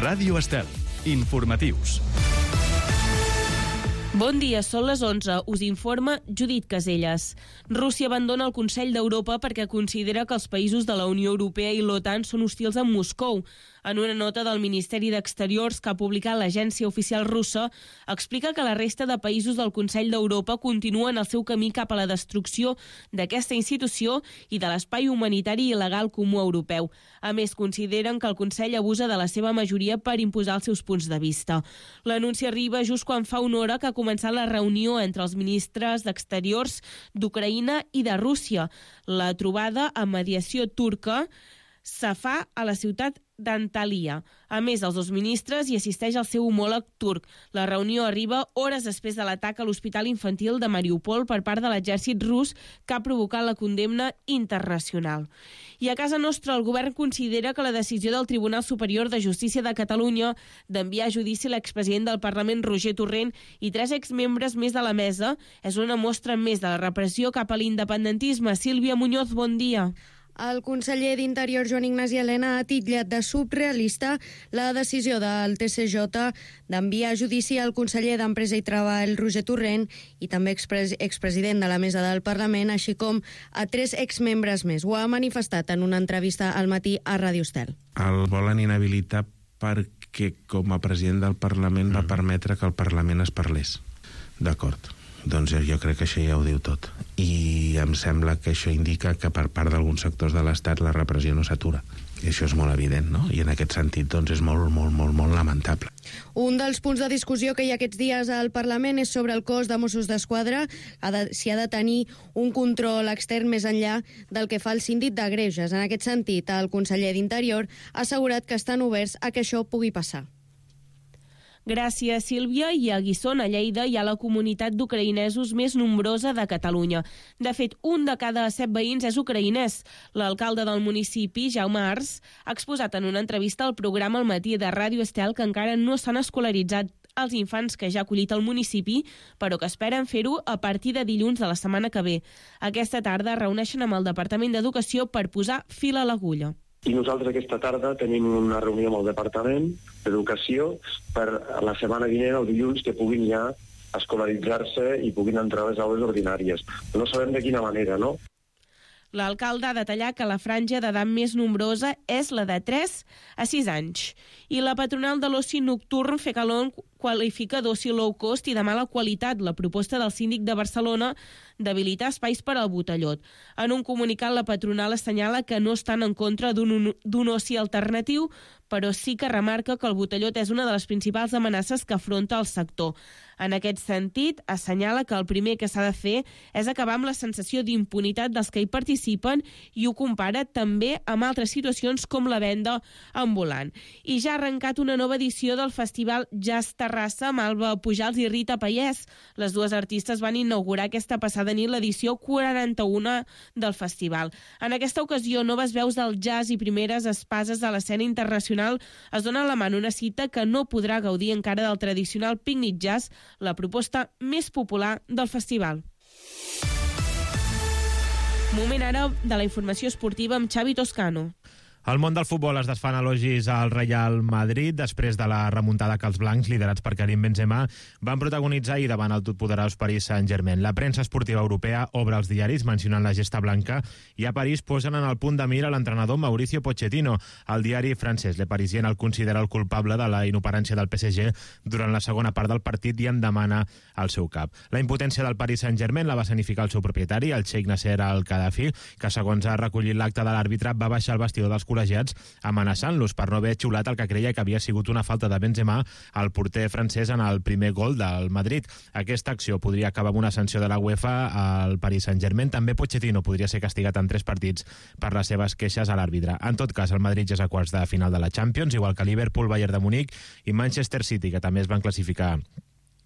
Ràdio Estel. Informatius. Bon dia, són les 11. Us informa Judit Caselles. Rússia abandona el Consell d'Europa perquè considera que els països de la Unió Europea i l'OTAN són hostils amb Moscou. En una nota del Ministeri d'Exteriors que ha publicat l'agència oficial russa, explica que la resta de països del Consell d'Europa continuen el seu camí cap a la destrucció d'aquesta institució i de l'espai humanitari i legal comú europeu. A més, consideren que el Consell abusa de la seva majoria per imposar els seus punts de vista. L'anunci arriba just quan fa una hora que ha començat la reunió entre els ministres d'Exteriors d'Ucraïna i de Rússia. La trobada amb mediació turca se fa a la ciutat d'Antalya. A més, els dos ministres hi assisteix el seu homòleg turc. La reunió arriba hores després de l'atac a l'hospital infantil de Mariupol per part de l'exèrcit rus que ha provocat la condemna internacional. I a casa nostra, el govern considera que la decisió del Tribunal Superior de Justícia de Catalunya d'enviar a judici l'expresident del Parlament Roger Torrent i 3 exmembres més de la mesa és una mostra més de la repressió cap a l'independentisme. Sílvia Muñoz, bon dia. El conseller d'Interior, Joan Ignasi Elena, ha titllat de surrealista la decisió del TSJ d'enviar a judici al conseller d'Empresa i Treball, Roger Torrent, i també expresident de la mesa del Parlament, així com a 3 exmembres més. Ho ha manifestat en una entrevista al matí a Ràdio Estel. El volen inhabilitar perquè, com a president del Parlament, va permetre que el Parlament es parlés. D'acord. Doncs jo crec que això ja ho diu tot. I em sembla que això indica que per part d'alguns sectors de l'Estat la repressió no s'atura. I això és molt evident, no? I en aquest sentit doncs és molt lamentable. Un dels punts de discussió que hi ha aquests dies al Parlament és sobre el cos de Mossos d'Esquadra, si ha de tenir un control extern més enllà del que fa el síndic de Greuges. En aquest sentit, el conseller d'Interior ha assegurat que estan oberts a que això pugui passar. Gràcies, Sílvia. I a Guissona, a Lleida, hi ha la comunitat d'ucraïnesos més nombrosa de Catalunya. De fet, un de cada 7 veïns és ucraïnès. L'alcalde del municipi, Jaume Ars, ha exposat en una entrevista al programa Al matí de Ràdio Estel que encara no s'han escolaritzat els infants que ja ha acollit el municipi, però que esperen fer-ho a partir de dilluns de la setmana que ve. Aquesta tarda reuneixen amb el Departament d'Educació per posar fil a l'agulla. I nosaltres aquesta tarda tenim una reunió amb el Departament d'Educació per la setmana vinent, el dilluns, que puguin ja escolaritzar-se i puguin entrar a les aules ordinàries. No sabem de quina manera, no? L'alcalde ha detallat que la franja d'edat més nombrosa és la de 3 a 6 anys. I la patronal de l'oci nocturn, Fecalon, qualifica d'oci low cost i de mala qualitat la proposta del síndic de Barcelona d'habilitar espais per al botellot. En un comunicat, la patronal assenyala que no estan en contra d'un oci alternatiu, però sí que remarca que el botellot és una de les principals amenaces que afronta el sector. En aquest sentit, assenyala que el primer que s'ha de fer és acabar amb la sensació d'impunitat dels que hi participen i ho compara també amb altres situacions com la venda ambulant. I ja ha arrencat una nova edició del festival Jazz Terrassa amb Alba Pujals i Rita Pallès. Les dues artistes van inaugurar aquesta passada nit l'edició 41 del festival. En aquesta ocasió, noves veus del jazz i primeres espases de l'escena internacional es donen la mà en una cita que no podrà gaudir encara del tradicional pícnic jazz, la proposta més popular del festival. Moment ara de la informació esportiva amb Xavi Toscano. Al món del futbol es desfan elogis al Real Madrid després de la remuntada que els blancs, liderats per Karim Benzema, van protagonitzar ahir davant el totpoderós Paris Saint-Germain. La premsa esportiva europea obre els diaris mencionant la gesta blanca i a París posen en el punt de mira l'entrenador Mauricio Pochettino. El diari francès Le Parisien el considera el culpable de la inoperància del PSG durant la segona part del partit i en demana el seu cap. La impotència del Paris Saint-Germain la va escenificar el seu propietari, el xeic Nasser Al-Khadafi, que segons ha recollit l'acte de l'àrbitre va baixar al vestidor dels col·legiats amenaçant-los per no haver xiulat el que creia que havia sigut una falta de Benzema al porter francès en el primer gol del Madrid. Aquesta acció podria acabar amb una sanció de la UEFA al Paris Saint-Germain. També Pochettino podria ser castigat en 3 partits per les seves queixes a l'àrbitre. En tot cas, el Madrid ja és a quarts de final de la Champions, igual que Liverpool, Bayern de Munic i Manchester City, que també es van classificar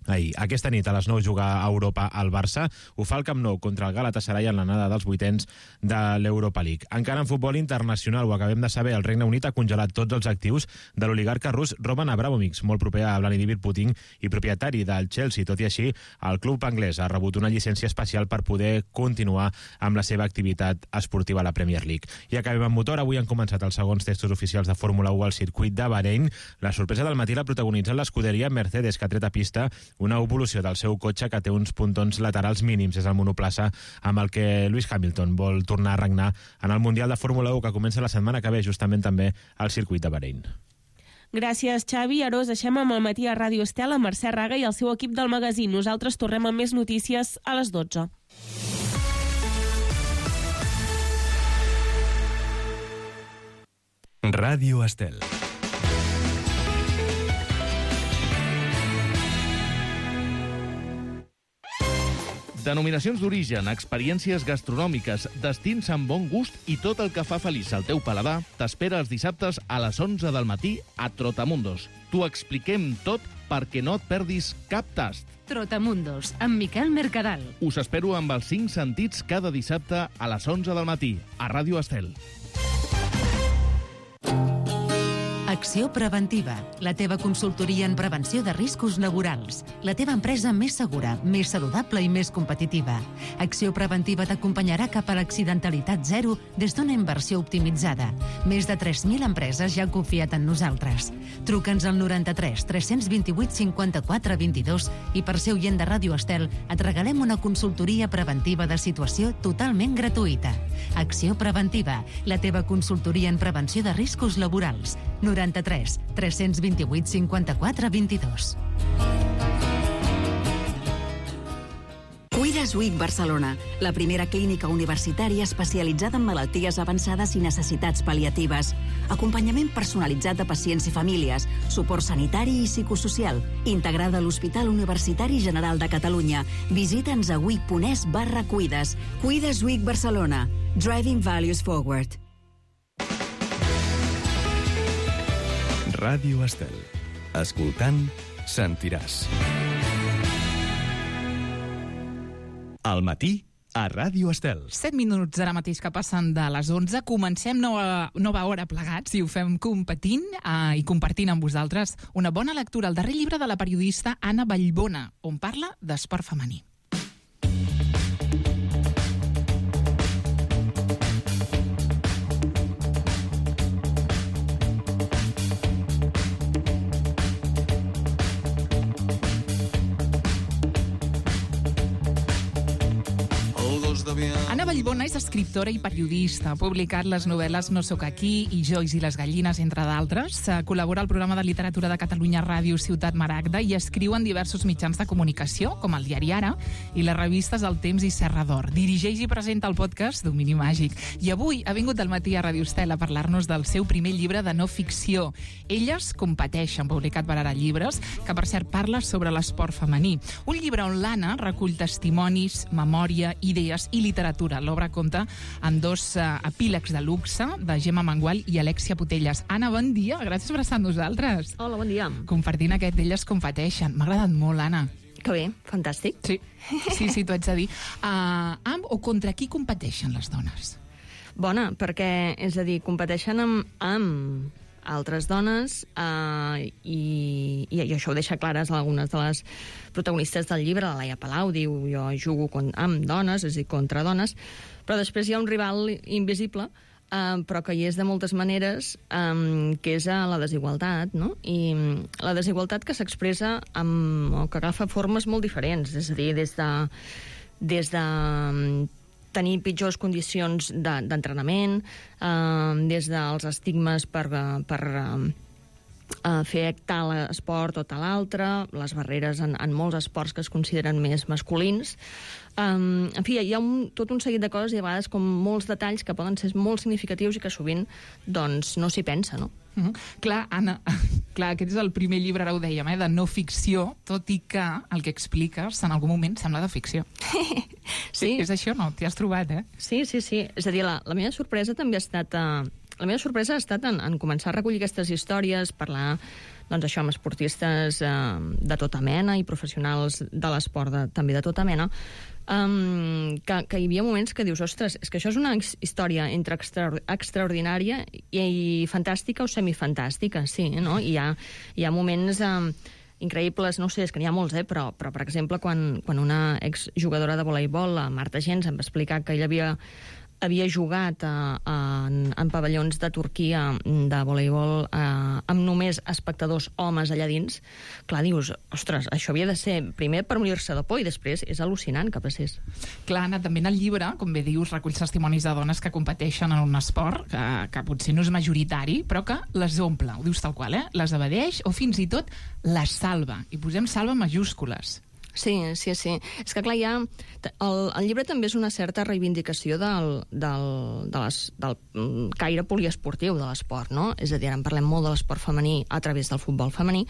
ahir. Aquesta nit a les 9 juga a Europa al Barça. Ho fa el Camp Nou contra el Galatasaray en l'anada dels vuitens de l'Europa League. Encara en futbol internacional, ho acabem de saber, el Regne Unit ha congelat tots els actius de l'oligarca rus Roman Abramovich, molt proper a Vladimir Putin i propietari del Chelsea. Tot i així, el club anglès ha rebut una llicència especial per poder continuar amb la seva activitat esportiva a la Premier League. I acabem amb motor. Avui han començat els segons testos oficials de Fórmula 1 al circuit de Bahrein. La sorpresa del matí l'ha protagonitzat l'escuderia Mercedes, que ha tret a pista una evolució del seu cotxe que té uns puntons laterals mínims. És el monoplaça amb el que Lewis Hamilton vol tornar a regnar en el Mundial de Fórmula 1 que comença la setmana que ve, justament també al circuit de Bahrein. Gràcies, Xavi. Ara us deixem amb el matí a Ràdio Estel, amb Mercè Raga i el seu equip del magazín. Nosaltres tornem amb més notícies a les 12. Ràdio Estel. Denominacions d'origen, experiències gastronòmiques, destins amb bon gust i tot el que fa feliç al teu paladar t'espera els dissabtes a les 11 del matí a Trotamundos. T'ho expliquem tot perquè no et perdis cap tast. Trotamundos, amb Miquel Mercadal. Us espero amb els 5 sentits cada dissabte a les 11 del matí a Ràdio Estel. Acció Preventiva, la teva consultoria en prevenció de riscos laborals. La teva empresa més segura, més saludable i més competitiva. Acció Preventiva t'acompanyarà cap a l'accidentalitat zero des d'una inversió optimitzada. Més de 3.000 empreses ja han confiat en nosaltres. Truca'ns al 93 328 54 22 i per ser oient de Ràdio Estel et regalem una consultoria preventiva de situació totalment gratuïta. Acció Preventiva, la teva consultoria en prevenció de riscos laborals. 93 328 54 22. Cuides Week Barcelona, la primera clínica universitària especialitzada en malalties avançades i necessitats pal·liatives. Acompanyament personalitzat de pacients i famílies, suport sanitari i psicosocial, integrada a l'Hospital Universitari General de Catalunya. Visita'ns a week.es/cuides. Cuides Week Barcelona. Driving Values Forward. Ràdio Estel. Escoltant, sentiràs. Al matí, a Ràdio Estel. 7 minuts ara mateix que passen de les 11. Comencem nova hora plegats i ho fem competint i compartint amb vosaltres una bona lectura, el darrer llibre de la periodista Anna Vallbona, on parla d'esport femení. Anna Vallbona és escriptora i periodista. Ha publicat les novel·les No sóc aquí i Joyce i les gallines, entre d'altres. Col·labora al programa de literatura de Catalunya Ràdio Ciutat Maragda i escriu en diversos mitjans de comunicació, com el diari Ara i les revistes El Temps i Serra d'Or. Dirigeix i presenta el podcast Domini Màgic. I avui ha vingut al matí a Ràdio Estel a parlar-nos del seu primer llibre de no ficció. Elles competeixen, publicat per Ara Llibres, que per cert parla sobre l'esport femení. Un llibre on l'Anna recull testimonis, memòria, idees i literatura. L'obra compta amb 2 epílegs de luxe de Gemma Mangual i Alexia Putelles. Anna, bon dia, gràcies per estar amb nosaltres. Hola, bon dia. Compartint aquest Elles competeixen. M'ha agradat molt, Anna. Que bé, fantàstic. Sí, t'ho haig de dir. Amb o contra qui competeixen les dones? Bona, perquè, és a dir, competeixen amb altres dones i això ho deixa clares algunes de les protagonistes del llibre. La Laia Palau diu jo jugo amb dones, és a dir, contra dones, però després hi ha un rival invisible però que hi és de moltes maneres, que és la desigualtat, no? I la desigualtat que s'expressa o que agafa formes molt diferents, és a dir, des de tenir pitjors condicions d'entrenament, des dels estigmes per fer tal esport o tal altre, les barreres en molts esports que es consideren més masculins. En fi, hi ha tot un seguit de coses i a vegades com molts detalls que poden ser molt significatius i que sovint doncs, no s'hi pensa, no? Clar, Anna, aquest és el primer llibre, ara ho dèiem, de no ficció, tot i que el que expliques en algun moment sembla de ficció. Sí. És això, no? T'hi has trobat, eh? Sí. És a dir, la meva sorpresa també ha estat la meva sorpresa ha estat en començar a recollir aquestes històries, parlar doncs això, amb esportistes de tota mena i professionals de l'esport també de tota mena, que hi havia moments que dius, ostres, és que això és una història entre extraordinària i fantàstica o semifantàstica, sí, no? I hi ha moments increïbles, no sé, és que n'hi ha molts, però per exemple, quan una exjugadora de voleibol, la Marta Gens, em va explicar que ella havia jugat en pavellons de Turquia de voleibol amb només espectadors homes allà dins, clar, dius, ostres, això havia de ser primer per morir-se de por i després és al·lucinant que passés. Clar, Anna, també en el llibre, com bé dius, reculls testimonis de dones que competeixen en un esport que potser no és majoritari, però que les omple, ho dius tal qual, les evadeix o fins i tot les salva. I posem salva en majúscules. Sí. És que, clar, el llibre també és una certa reivindicació del caire poliesportiu de l'esport, no? És a dir, ara en parlem molt de l'esport femení a través del futbol femení,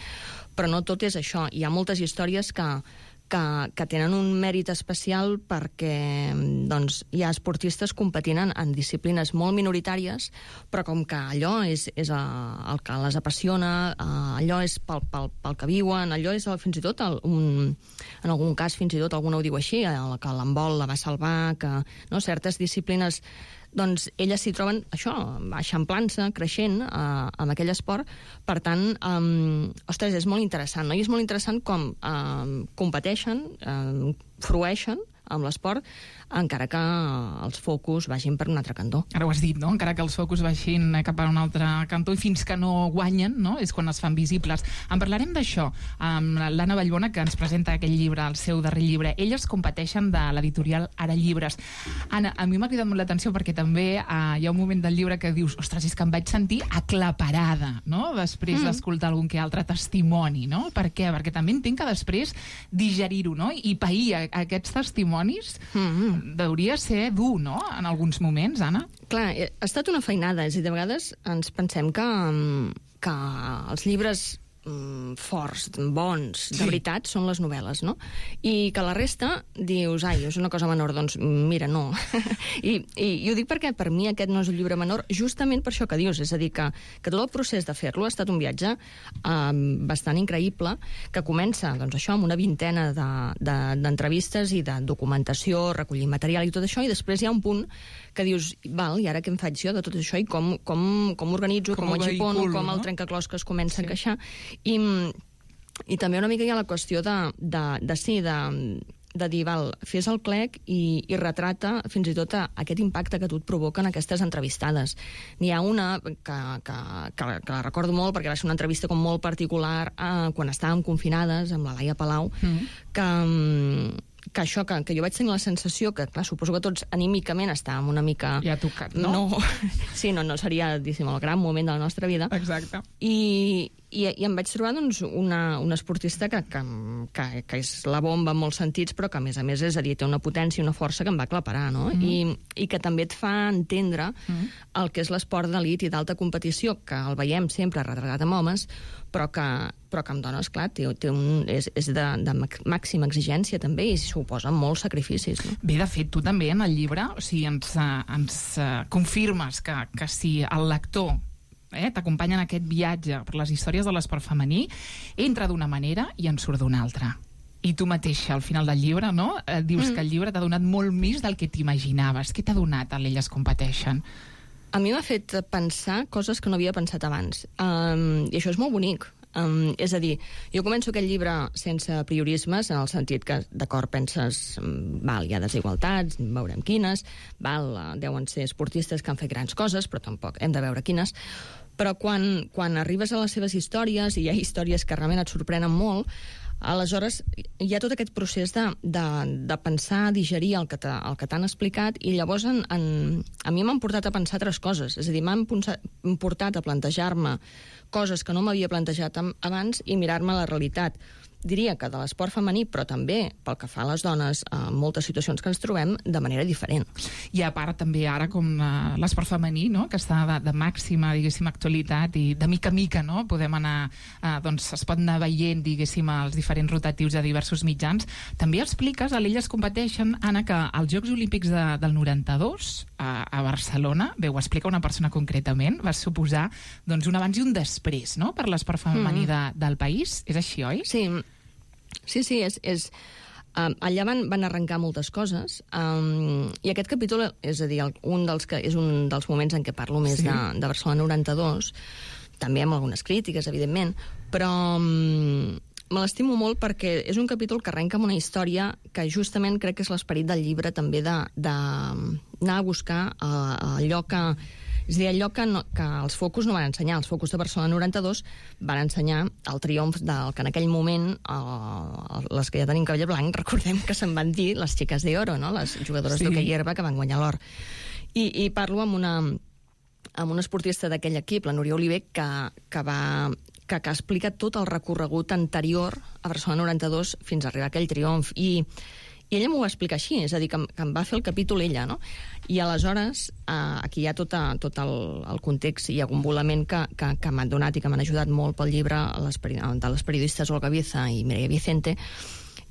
però no tot és això. Hi ha moltes històries que tenen un mèrit especial perquè doncs, hi ha esportistes competint en disciplines molt minoritàries, però com que allò és el que les apassiona, allò és pel que viuen, allò és fins i tot, en algun cas fins i tot alguna ho diu així, que l'handbol la va salvar, que certes disciplines doncs elles s'hi troben, això, eixamplant-se, creixent amb aquell esport. Per tant, ostres, és molt interessant, no? I és molt interessant com competeixen, frueixen amb l'esport, encara que els focus vagin per un altre cantó. Ara ho has dit, no? Encara que els focus vagin cap a un altre cantó i fins que no guanyen, no? És quan es fan visibles. En parlarem d'això amb l'Anna Vallbona, que ens presenta aquell llibre, el seu darrer llibre. Elles competeixen de l'editorial Ara Llibres. Anna, a mi m'ha cridat molt l'atenció perquè també hi ha un moment del llibre que dius, ostres, és que em vaig sentir aclaparada, no? Després d'escoltar algun que altre testimoni, no? Per què? Perquè també entenc que després digerir-ho, no? I pair aquests testimonis hauria ser dur, no?, en alguns moments, Anna? Clar, ha estat una feinada, és a dir, de vegades ens pensem que els llibres forts, bons, de veritat, són les novel·les, no? I que la resta dius, ai, és una cosa menor, doncs mira, no. I ho dic perquè per mi aquest no és un llibre menor, justament per això que dius, és a dir, que tot el procés de fer-lo ha estat un viatge bastant increïble, que comença, doncs això, amb una vintena d'entrevistes i de documentació, recollir material i tot això, i després hi ha un punt que dius, val, i ara què em faig jo de tot això i com organitzo, com ho agipono, com el trencaclosques comença a encaixar. I també una mica hi ha la qüestió de dir, val, fes el clec i retrata fins i tot aquest impacte que tu et provoquen aquestes entrevistades. N'hi ha una que la recordo molt perquè va ser una entrevista com molt particular quan estàvem confinades amb la Laia Palau, que això, que jo vaig tenir la sensació que, clar, suposo que tots anímicament estàvem una mica... Ja tocat, no? Sí, no seria, diguéssim, el gran moment de la nostra vida. Exacte. I em vaig trobar, doncs, una esportista que és la bomba en molts sentits, però que, a més, és a dir, té una potència i una força que em va aclaparar, no? I que també et fa entendre el que és l'esport d'elit i d'alta competició, que el veiem sempre retratat amb homes, però que amb dones, clar, és de màxima exigència també i suposa molts sacrificis. No? Bé, de fet, tu també en el llibre, o sigui, ens confirmes que si el lector t'acompanya en aquest viatge per les històries de l'esport femení, entra d'una manera i en surt d'una altra. I tu mateixa, al final del llibre, no? Dius que el llibre t'ha donat molt més del que t'imaginaves. Què t'ha donat a l'Elles competeixen? A mi m'ha fet pensar coses que no havia pensat abans. I això és molt bonic. És a dir, jo començo aquest llibre sense priorismes, en el sentit que, d'acord, penses, hi ha desigualtats, veurem quines, deuen ser esportistes que han fet grans coses, però tampoc hem de veure quines. Però quan arribes a les seves històries, i hi ha històries que realment et sorprenen molt, aleshores hi ha tot aquest procés de pensar, digerir el que t'han explicat, i llavors a mi m'han portat a pensar altres coses. És a dir, m'han portat a plantejar-me coses que no m'havia plantejat abans i mirar-me la realitat diria que de l'esport femení, però també pel que fa a les dones, en moltes situacions que ens trobem de manera diferent. I a part també ara com l'esport femení, no?, que està de màxima, diguéssim, actualitat i de mica a mica, no?, podem anar, doncs es pot anar veient, diguéssim, els diferents rotatius de diversos mitjans. També expliques, a l'Elles competeixen, Anna, que als Jocs Olímpics del 92 a Barcelona, bé, ho explica una persona concretament, va suposar doncs, un abans i un després, no?, per l'esport femení del país. És així, oi? Sí, és allà van arrencar moltes coses, i aquest capítol, és a dir, és un dels moments en què parlo més de Barcelona 92, també amb algunes crítiques, evidentment, però me l'estimo molt perquè és un capítol que arrenca amb una història que justament crec que és l'esperit del llibre també d'anar a buscar allò que... És a dir, allò que els focus no van ensenyar. Els focus de Barcelona 92 van ensenyar el triomf del que en aquell moment les que ja tenim cabell blanc, recordem que se'n van dir les xiques d'oro, no?, les jugadores d'hoquei herba que van guanyar l'or. I parlo amb una esportista d'aquell equip, la Núria Oliver, que explica tot el recorregut anterior a Barcelona 92 fins a arribar a aquell triomf. I ella m'ho va explicar així, és a dir, que em va fer el capítol ella, no? I aleshores, aquí hi ha tot el context i agumbolament que m'han donat i que m'han ajudat molt pel llibre de les periodistes Olga Viza i Mireia Vicente.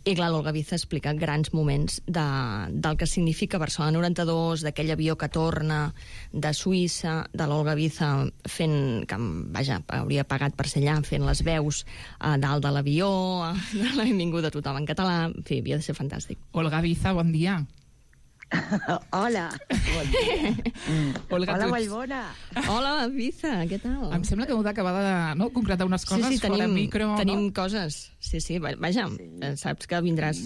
I clar, l'Olga Viza explica grans moments del que significa Barcelona 92, d'aquell avió que torna de Suïssa, de l'Olga Viza fent, que vaja, hauria pagat per ser allà, fent les veus dalt de l'avió, de la benvinguda a tothom en català, en fi, havia de ser fantàstic. Olga Viza, bon dia. Hola, bon dia. Olga, hola, Vallbona. Hola, Viza, què tal? Em sembla que heu d'acabar de concretar unes coses fora micro. Tenim coses. Sí, vaja, saps que vindràs,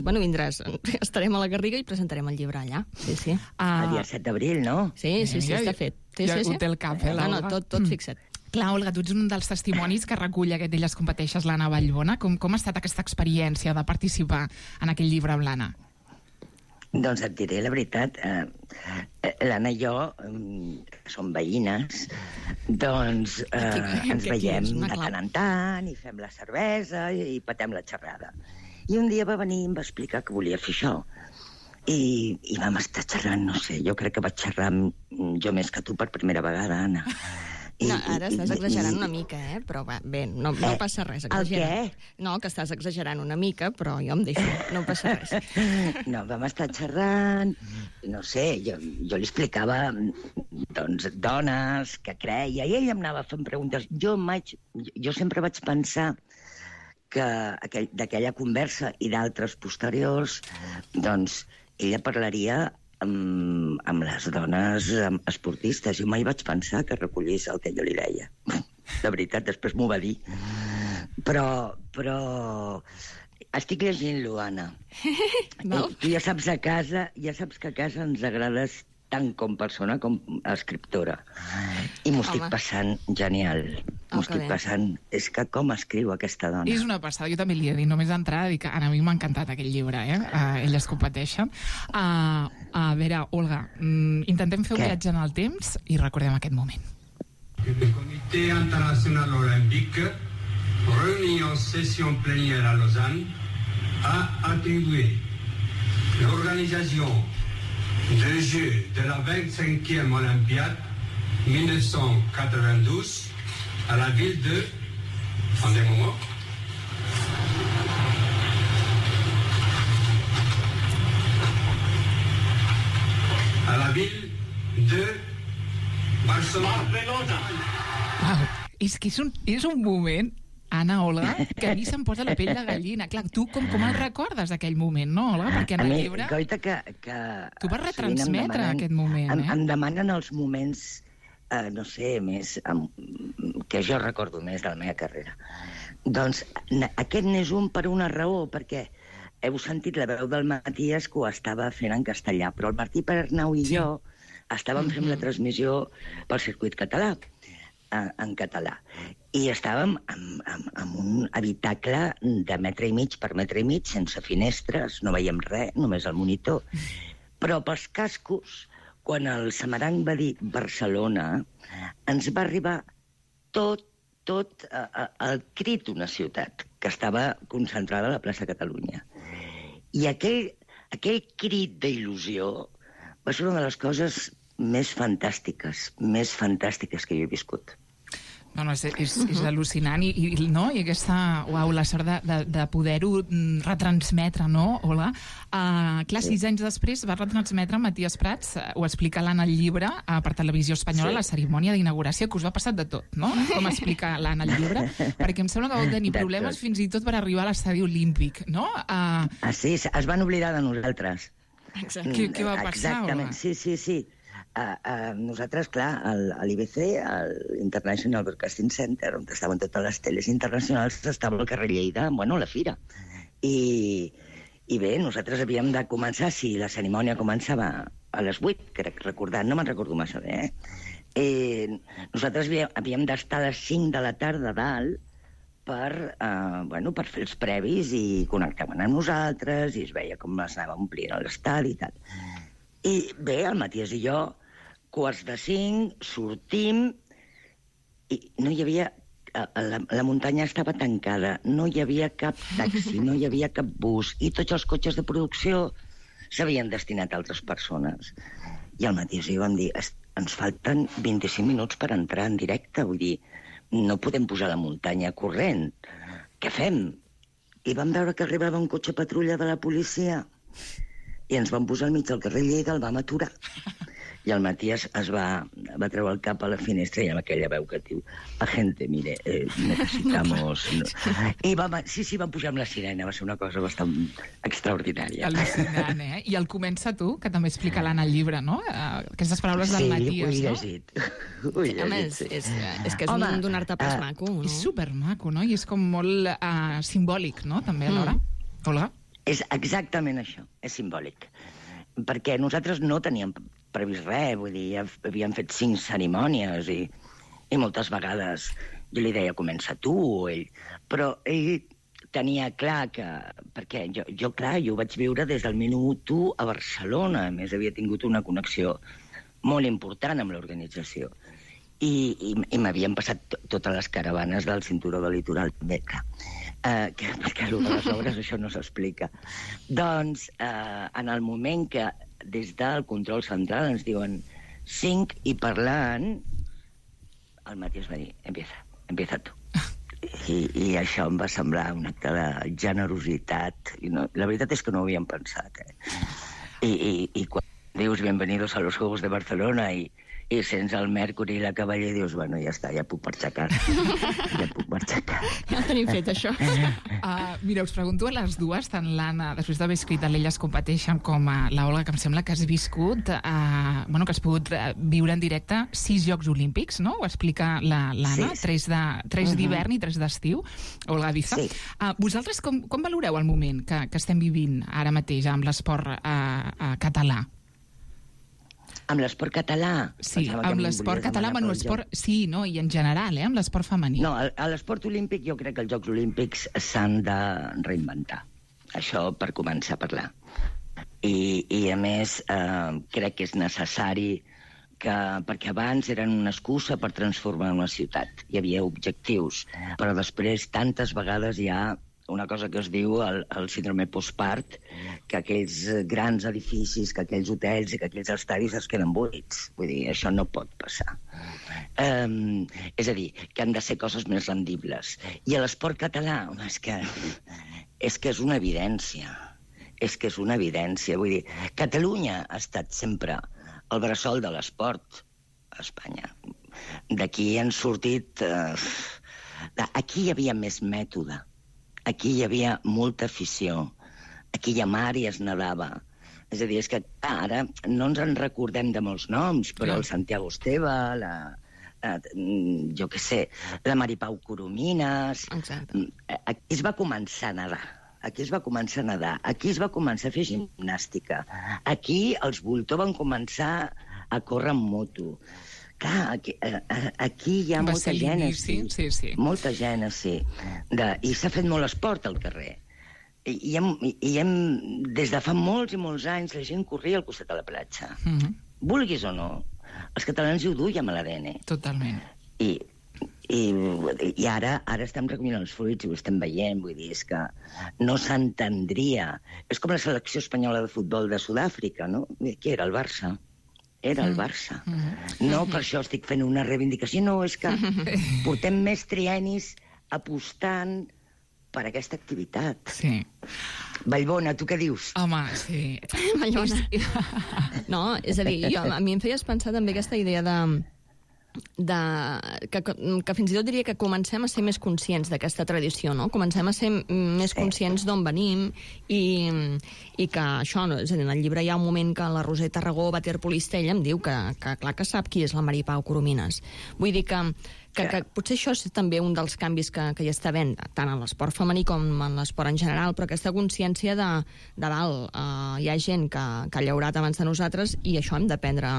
estarem a la Garriga i presentarem el llibre allà. Sí. El dia 7 d'abril, no? Sí, està fet. Ja ho té el cap, l'Olga. No, tot fixat. Clar, Olga, tu ets un dels testimonis que recull aquest Elles competeixes, l'Anna Vallbona. Com ha estat aquesta experiència de participar en aquell llibre amb l'Anna? Doncs et diré la veritat, l'Anna i jo, que som veïnes, doncs ens veiem de tant en tant i fem la cervesa i patem la xerrada. I un dia va venir i em va explicar que volia fer això. I vam estar xerrant, no sé, jo crec que vaig xerrar jo més que tu per primera vegada, Anna. No, ara estàs exagerant una mica, però bé, no passa res. El què? No, que estàs exagerant una mica, però jo em deixo, no passa res. No, vam estar xerrant, no sé, jo li explicava, doncs, dones que creia, i ell em anava fent preguntes. Jo sempre vaig pensar que d'aquella conversa i d'altres posteriors, doncs, ella parlaria amb les dones esportistes. Jo mai vaig pensar que recollís el que jo li deia. De veritat, després m'ho va dir. Però estic llegint-lo, Anna. Tu ja saps que a casa ens agrades tant com persona com escriptora. I m'ho estic passant genial. M'ho estic passant... És que com escriu aquesta dona? És una passada. Jo també li he dit, només d'entrada, dic que a mi m'ha encantat aquell llibre, Elles competeixen. A veure, Olga, intentem fer un viatge en el temps i recordem aquest moment. Le Comité International Olympique, réuni en session plénière à Lausanne, a attribué l'organisation des Jeux de la 25e Olympiade 1992 à la ville de... Attendez-moi. À la ville de Barcelona. Wow, és que és un moment, Anna, Olga, que a mi se'm posa la pell de gallina. Clar, tu com el recordes, aquell moment, no, Olga? Perquè en el llibre... Goita, que tu vas retransmetre aquest moment, Em demanen els moments, no sé, més... que jo recordo més de la meva carrera. Doncs aquest n'és un per una raó, perquè heu sentit la veu del Matías que ho estava fent en castellà, però el Martí Pernau i jo estàvem fent la transmissió pel circuit català, en català. I estàvem en un habitacle de metre i mig per metre i mig, sense finestres, no veiem res, només el monitor. Però pels cascos, quan el Samaranc va dir Barcelona, ens va arribar tot el crit d'una ciutat, que estava concentrada a la plaça Catalunya. I aquell crit d'il·lusió va ser una de les coses més fantàstiques que jo he viscut. No, és al·lucinant i aquesta, la sort de poder-ho retransmetre, no, Olga? Clar, 6 anys després va retransmetre Matías Prats, ho explica l'Anna al llibre, per Televisió Espanyola, la cerimònia d'inauguració, que us va passar de tot, no? Com explica l'Anna al llibre, perquè em sembla que vau tenir problemes fins i tot per arribar a l'estadi olímpic, no? Sí, es van oblidar de nosaltres. Què va passar, Olga? Sí. Nosaltres, clar, a l'IBC, a l'International Broadcasting Center, on estaven totes les teles internacionals, estava al carrer Lleida, la fira. I bé, nosaltres havíem de començar, si la cerimònia començava a les 8, crec recordar, no me'n recordo massa bé, nosaltres havíem d'estar a les 5 de la tarda a dalt per fer els previs i connectaven amb nosaltres i es veia com es anava omplint l'estadi i tal. I bé, el Matías i jo, 4:45, sortim i no hi havia... La muntanya estava tancada, no hi havia cap taxi, no hi havia cap bus, i tots els cotxes de producció s'havien destinat a altres persones. I el Matías i jo vam dir, ens falten 25 minuts per entrar en directe, vull dir, no podem pujar a la muntanya corrent. Què fem? I vam veure que arribava un cotxe patrulla de la policia i ens vam posar al mig del carrer Lleida, el vam aturar. I el Matías es va treure el cap a la finestra i amb aquella veu que diu, agente, mire, necesitamos... I vam pujar amb la sirena, va ser una cosa bastant extraordinària. Al·lucinant, I el comença tu, que també explica l'Anna al llibre, no? Aquestes paraules del Matías, no? Sí, ho he llegit. És que és donar-te pas maco, no? És supermaco, no? I és com molt simbòlic, no? També alhora. Olga? És exactament això, és simbòlic. Perquè nosaltres no teníem previst res, vull dir, havíem fet 5 cerimònies i moltes vegades jo li deia, comença tu o ell, però ell tenia clar que... Perquè jo ho vaig viure des del minut 1 a Barcelona, a més havia tingut una connexió molt important amb l'organització. I m'havien passat totes les caravanes del cinturó del litoral també, clar. Perquè a les obres això no s'explica. Doncs, en el moment que des del control central ens diuen 5 i parlant, el Matías va dir, empieza tu. I això em va semblar un acte de generositat. La veritat és que no ho havíem pensat. I quan dius bienvenidos a los Juegos de Barcelona i sents el Mercury i la Cavaller i dius, bueno, ja està, ja puc marxar a casa. Ja tenim fet, això. Mira, us pregunto a les dues, tant l'Anna, després d'haver escrit l'Elles competeixen, com la Olga, que em sembla que has viscut, que has pogut viure en directe 6 Jocs Olímpics, no? Ho explica l'Anna, 3 d'hivern i 3 d'estiu, Olga Viza. Vosaltres com valoreu el moment que estem vivint ara mateix amb l'esport català? Amb l'esport català? Sí, amb l'esport català, sí, no? I en general, amb l'esport femení. No, a l'esport olímpic jo crec que els Jocs Olímpics s'han de reinventar. Això per començar a parlar. I a més, crec que és necessari perquè abans eren una excusa per transformar una ciutat. Hi havia objectius, però després tantes vegades hi ha una cosa que es diu el síndrome postpart, que aquells grans edificis, que aquells hotels i que aquells estadis es queden buits. Vull dir, això no pot passar. És a dir, que han de ser coses més rendibles. I a l'esport català, home, és que és una evidència. És que és una evidència. Vull dir, Catalunya ha estat sempre el bressol de l'esport a Espanya. D'aquí han sortit... Aquí hi havia més mètode. Aquí hi havia molta afició. Aquí hi ha mar i es nedava. És a dir, és que ara no ens en recordem de molts noms, però el Santiago Esteve, jo què sé, la Maripau Coromines... Aquí es va començar a nedar. Aquí es va començar a fer gimnàstica. Aquí els Voltor van començar a córrer amb moto. Clar, aquí hi ha molta gent, molta gent, sí. I s'ha fet molt esport al carrer. I des de fa molts i molts anys la gent corria al costat de la platja. Vulguis o no, els catalans hi ho duien a l'ADN. Totalment. I I ara estem recollint els fruits i ho estem veient, vull dir, és que no s'entendria. És com la selecció espanyola de futbol de Sud-àfrica, no? Qui era? El Barça. Era el Barça. No per això estic fent una reivindicació, no, és que portem més triennis apostant per aquesta activitat. Sí. Vallbona, tu què dius? Home, sí. Vallbona. No, és a dir, a mi em feies pensar també aquesta idea que fins i tot diria que comencem a ser més conscients d'aquesta tradició, no? Comencem a ser més conscients d'on venim i que això, no? És a dir, en el llibre hi ha un moment que la Roser Tarragó Bater Polistell em diu que clar que sap qui és la Mari Pau Coromines. Vull dir que potser això és també un dels canvis que hi està havent, tant en l'esport femení com en l'esport en general, però aquesta consciència de dalt. Hi ha gent que ha llaurat abans de nosaltres i això hem d'aprendre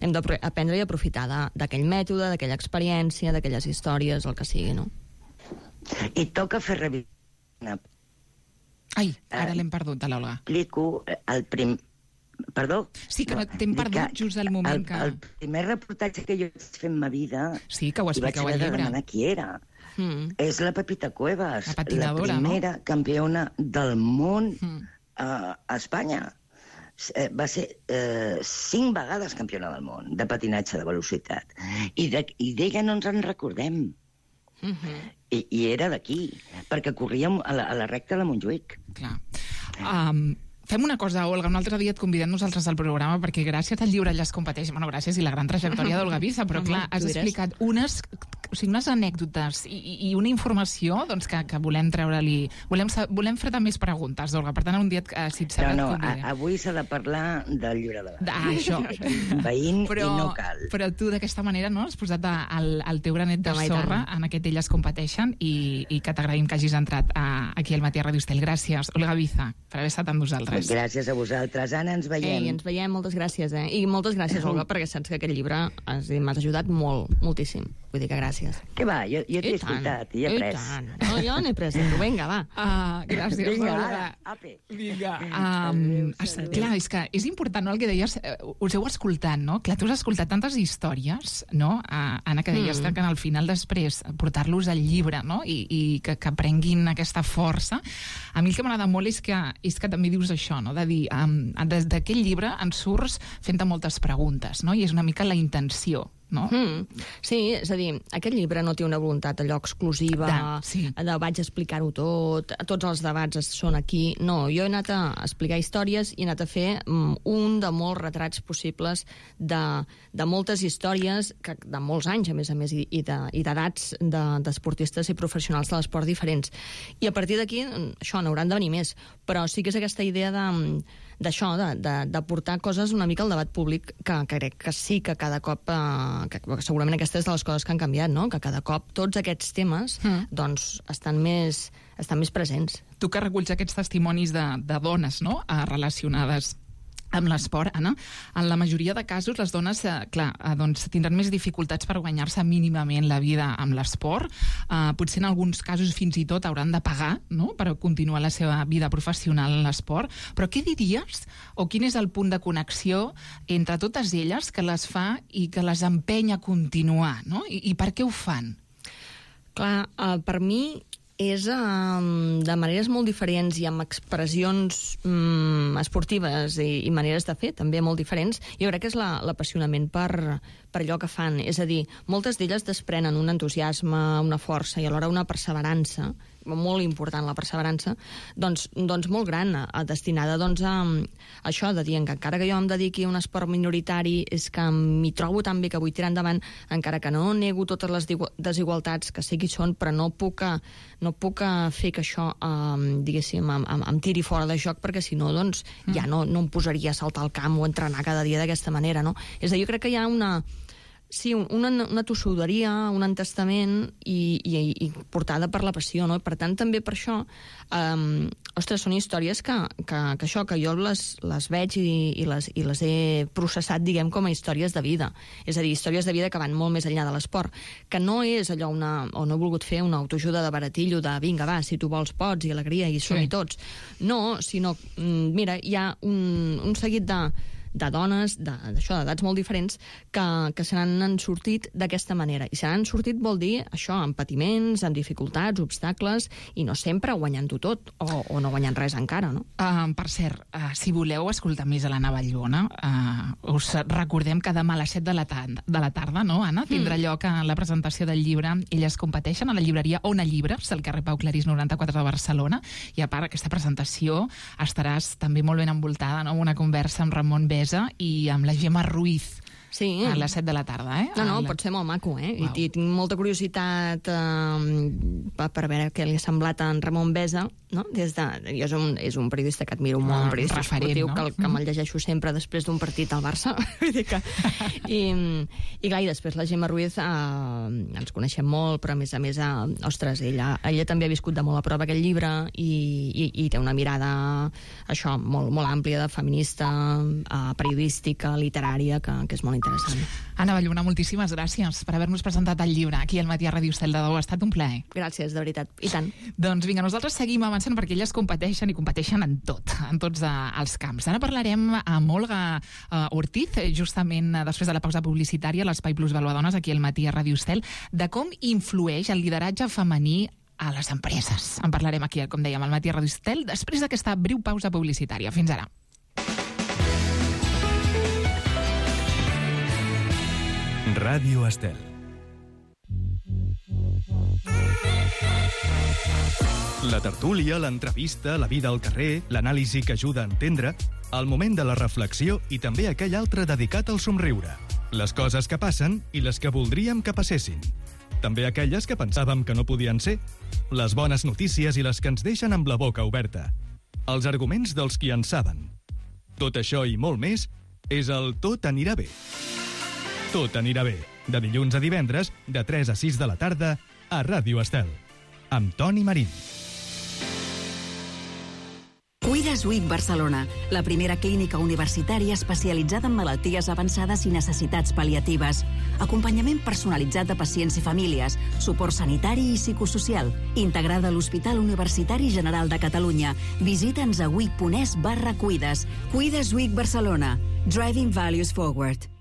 i aprofitar d'aquell mètode, d'aquella experiència, d'aquelles històries, el que sigui, no? I toca fer revisió. Ai, ara l'hem perdut, a l'Olga. Explico el primer... Perdó? Sí, que t'hem perdut just al moment que... El primer reportatge que jo vaig fer en ma vida... Sí, que ho expliqueu al llibre. I vaig haver de demanar qui era. És la Pepita Cuevas, la patinadora, la primera campiona del món a Espanya. Va ser 5 vegades campiona del món de patinatge de velocitat. I d'ella no ens en recordem. I era d'aquí, perquè corríem a la recta de Montjuïc. Clar. Fem una cosa, Olga, un altre dia et convidem nosaltres al programa perquè gràcies al llibre Elles competeix, bueno, gràcies i la gran trajectòria d'Olga Viza, però clar, has explicat unes anècdotes i una informació doncs, que volem treure-li... Volem fer-te més preguntes, Olga, per tant, un dia, si et sembla... No, avui s'ha de parlar del llibre de la... Això. Veïn i no cal. Però tu d'aquesta manera no has posat el teu granet de sorra en aquest Elles competeixen i que t'agraïm que hagis entrat aquí al Matí a Radio Estel. Gràcies, Olga Viza, per haver estat amb nosaltres. Gràcies a vosaltres. Anna, ens veiem. Ens veiem, moltes gràcies. I moltes gràcies, Olga, perquè saps que aquest llibre m'has ajudat moltíssim. Vull dir que gràcies. Què va? Jo t'he escoltat i he après. No, jo n'he après. Vinga, va. Gràcies, Olga. Vinga. Clar, és que és important, no?, el que deies, us heu escoltat, no? Clar, tu has escoltat tantes històries, no?, Anna, que deies que al final després portar-los al llibre, no?, i que prenguin aquesta força. A mi el que m'agrada molt és que també dius això, no?, de dir, des d'aquell llibre en surts fent-te moltes preguntes, no?, i és una mica la intenció, no? Sí, és a dir, aquest llibre no té una voluntat allò exclusiva, de vaig explicar-ho tot, tots els debats són aquí. No, jo he anat a explicar històries i he anat a fer un de molts retrats possibles de moltes històries, de molts anys, a més, i d'edats d'esportistes i professionals de l'esport diferents. I a partir d'aquí, això, n'hauran de venir més. Però sí que és aquesta idea d'això, de portar coses una mica al debat públic, que crec que sí que cada cop... que segurament aquesta és de les coses que han canviat, no?, que cada cop tots aquests temes doncs estan més presents. Tu que reculls aquests testimonis de dones, no?, relacionades amb l'esport, Anna, en la majoria de casos les dones, doncs, tindran més dificultats per guanyar-se mínimament la vida amb l'esport. Potser en alguns casos fins i tot hauran de pagar, no?, per continuar la seva vida professional en l'esport. Però què diries, o quin és el punt de connexió entre totes elles que les fa i que les empeny a continuar, no?, i per què ho fan? Clar, per mi és de maneres molt diferents i amb expressions esportives i maneres de fer també molt diferents. Jo crec que és l'apassionament per allò que fan. És a dir, moltes d'elles desprenen un entusiasme, una força i alhora una perseverança, molt important la perseverança, doncs molt gran, destinada doncs, a això de dir que encara que jo em dediqui a un esport minoritari és que m'hi trobo tan bé que vull tirar endavant, encara que no nego totes les desigualtats que sí que hi són, però no puc fer que això, diguéssim, em tiri fora de joc, perquè si no, doncs, ja no em posaria a saltar al camp o a entrenar cada dia d'aquesta manera, no? És a dir, jo crec que hi ha una tossuderia, un entestament i portada per la passió, no? Per tant, també per això, són històries que jo les veig i les he processat, diguem, com a històries de vida. És a dir, històries de vida que van molt més enllà de l'esport, que no és allò o no he volgut fer una autoajuda de baratillo de vinga, va, si tu vols pots, i alegria, i som-hi tots. No, sinó, mira, hi ha un seguit de dones, d'edats molt diferents, que se n'han sortit d'aquesta manera. I se n'han sortit vol dir això, amb patiments, amb dificultats, obstacles, i no sempre guanyant-ho tot, o no guanyant res encara, no? Per cert, si voleu escoltar més a l'Anna Vallbona, us recordem que demà a les 7 de la tarda, no, Anna? Tindrà lloc a la presentació del llibre Elles competeixen a la llibreria Ona Llibres, al carrer Pau Clarís 94 de Barcelona, i a part d'aquesta presentació estaràs també molt ben envoltada, no?, amb una conversa amb Ramon Besa i amb la Gemma Ruiz. Sí. A les 7 de la tarda, eh? No, pot ser molt maco, eh? Wow. I tinc molta curiositat per veure què li ha semblat a en Ramon Besa, no? Jo és un periodista que admiro molt, un periodista esportiu, no? que me'l llegeixo sempre després d'un partit al Barça. I clar, i després la Gemma Ruiz ens coneixem molt, però a més, ostres, ella també ha viscut de molt a prop aquest llibre i té una mirada, això, molt àmplia, de feminista, periodística, literària, que és molt interessant. Anna Vallbona, moltíssimes gràcies per haver-nos presentat el llibre aquí al Matí a Ràdio Estel de Dou. Ha estat un plaer. Gràcies, de veritat. I tant. Doncs vinga, nosaltres seguim avançant perquè elles competeixen i competeixen en tot, en tots els camps. Ara parlarem amb Olga Ortiz, justament després de la pausa publicitària a l'Espai Plus Valuadones aquí al Matí a Ràdio Estel, de com influeix el lideratge femení a les empreses. En parlarem aquí, com dèiem, al Matí a Ràdio Estel, després d'aquesta breu pausa publicitària. Fins ara. Ràdio Estel. La tertúlia, l'entrevista, la vida al carrer, l'anàlisi que ajuda a entendre, el moment de la reflexió i també aquell altre dedicat al somriure. Les coses que passen i les que voldríem que passessin. També aquelles que pensàvem que no podien ser. Les bones notícies i les que ens deixen amb la boca oberta. Els arguments dels qui en saben. Tot això i molt més és el Tot anirà bé. Tot anirà bé, de dilluns a divendres, de 3 a 6 de la tarda, a Ràdio Estel, amb Toni Marín. Cuides WIC Barcelona, la primera clínica universitària especialitzada en malalties avançades i necessitats pal·liatives. Acompanyament personalitzat de pacients i famílies, suport sanitari i psicosocial, integrada a l'Hospital Universitari General de Catalunya. Visita'ns a wic.es/cuides. Cuides WIC Barcelona. Driving Values Forward.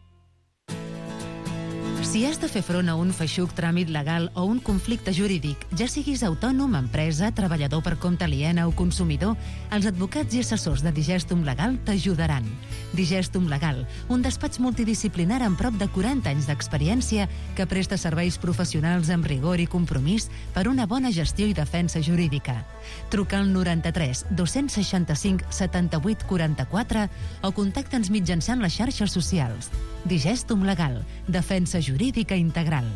Si has de fer front a un feixuc tràmit legal o un conflicte jurídic, ja siguis autònom, empresa, treballador per compte aliena o consumidor, els advocats i assessors de Digestum Legal t'ajudaran. Digestum Legal, un despatx multidisciplinar amb prop de 40 anys d'experiència que presta serveis professionals amb rigor i compromís per una bona gestió i defensa jurídica. Truca al 93 265 78 44 o contacta'ns mitjançant les xarxes socials. Digestum Legal, defensa jurídica integral.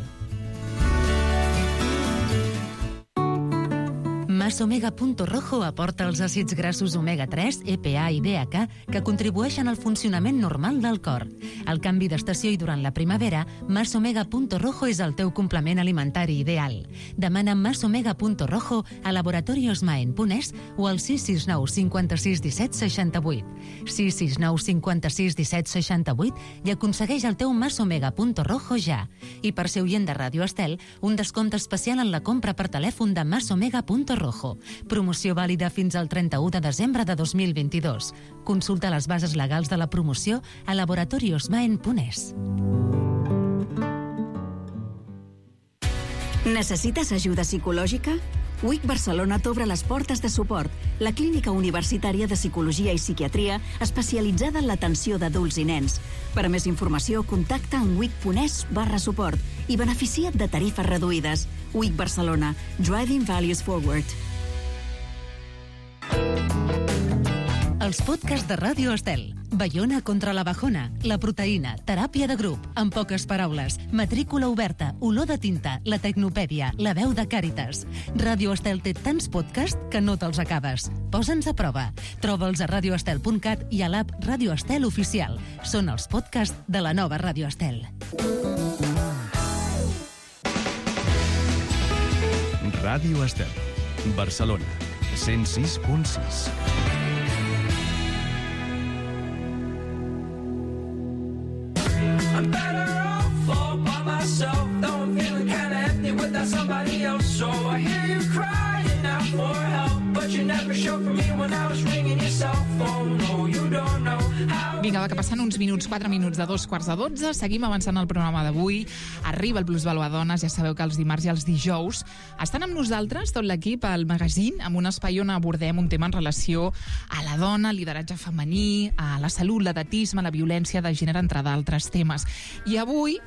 Masomega.rojo aporta els àcids grassos omega-3, EPA i DHA que contribueixen al funcionament normal del cor. Al canvi d'estació i durant la primavera, Masomega.rojo és el teu complement alimentari ideal. Demana Masomega.rojo a laboratoriosmaen.es o al 669 56 17 68. 669 56 17 68 i aconsegueix el teu Masomega.rojo ja. I per ser oient de Ràdio Estel, un descompte especial en la compra per telèfon de Masomega.rojo. Promoció vàlida fins al 31 de desembre de 2022. Consulta les bases legals de la promoció a laboratoriosmaen.es. Necessites ajuda psicològica? WIC Barcelona t'obre les portes de suport, la clínica universitària de psicologia i psiquiatria especialitzada en l'atenció d'adults i nens. Per a més informació, contacta en wic.es/suport i beneficia't de tarifes reduïdes. WIC Barcelona. Driving Values Forward. Els podcasts de Ràdio Estel. Baiona contra la bajona, la proteïna, teràpia de grup, en poques paraules, matrícula oberta, olor de tinta, la tecnopèdia, la veu de Càritas. Ràdio Estel té tants podcasts que no te'ls acabes. Posa'ns a prova. Troba'ls a radioestel.cat i a l'app Ràdio Estel Oficial. Són els podcasts de la nova Ràdio Estel. Ràdio Estel, Barcelona, 106.6. I'm better off all by myself, though I'm feeling kinda empty without somebody else. So I hear you crying out for help, but you never showed for me when I was ringing your cell phone. No, you don't know Vinga, va, que passen uns minuts, 4 minuts de 2:15. Seguim avançant el programa d'avui. Arriba el Plusvalua Dones. Ja sabeu que els dimarts i els dijous estan amb nosaltres, tot l'equip, al magazín, amb un espai on abordem un tema en relació a la dona, lideratge femení, a la salut, l'edatisme, la violència de gènere, entre d'altres temes. I avui,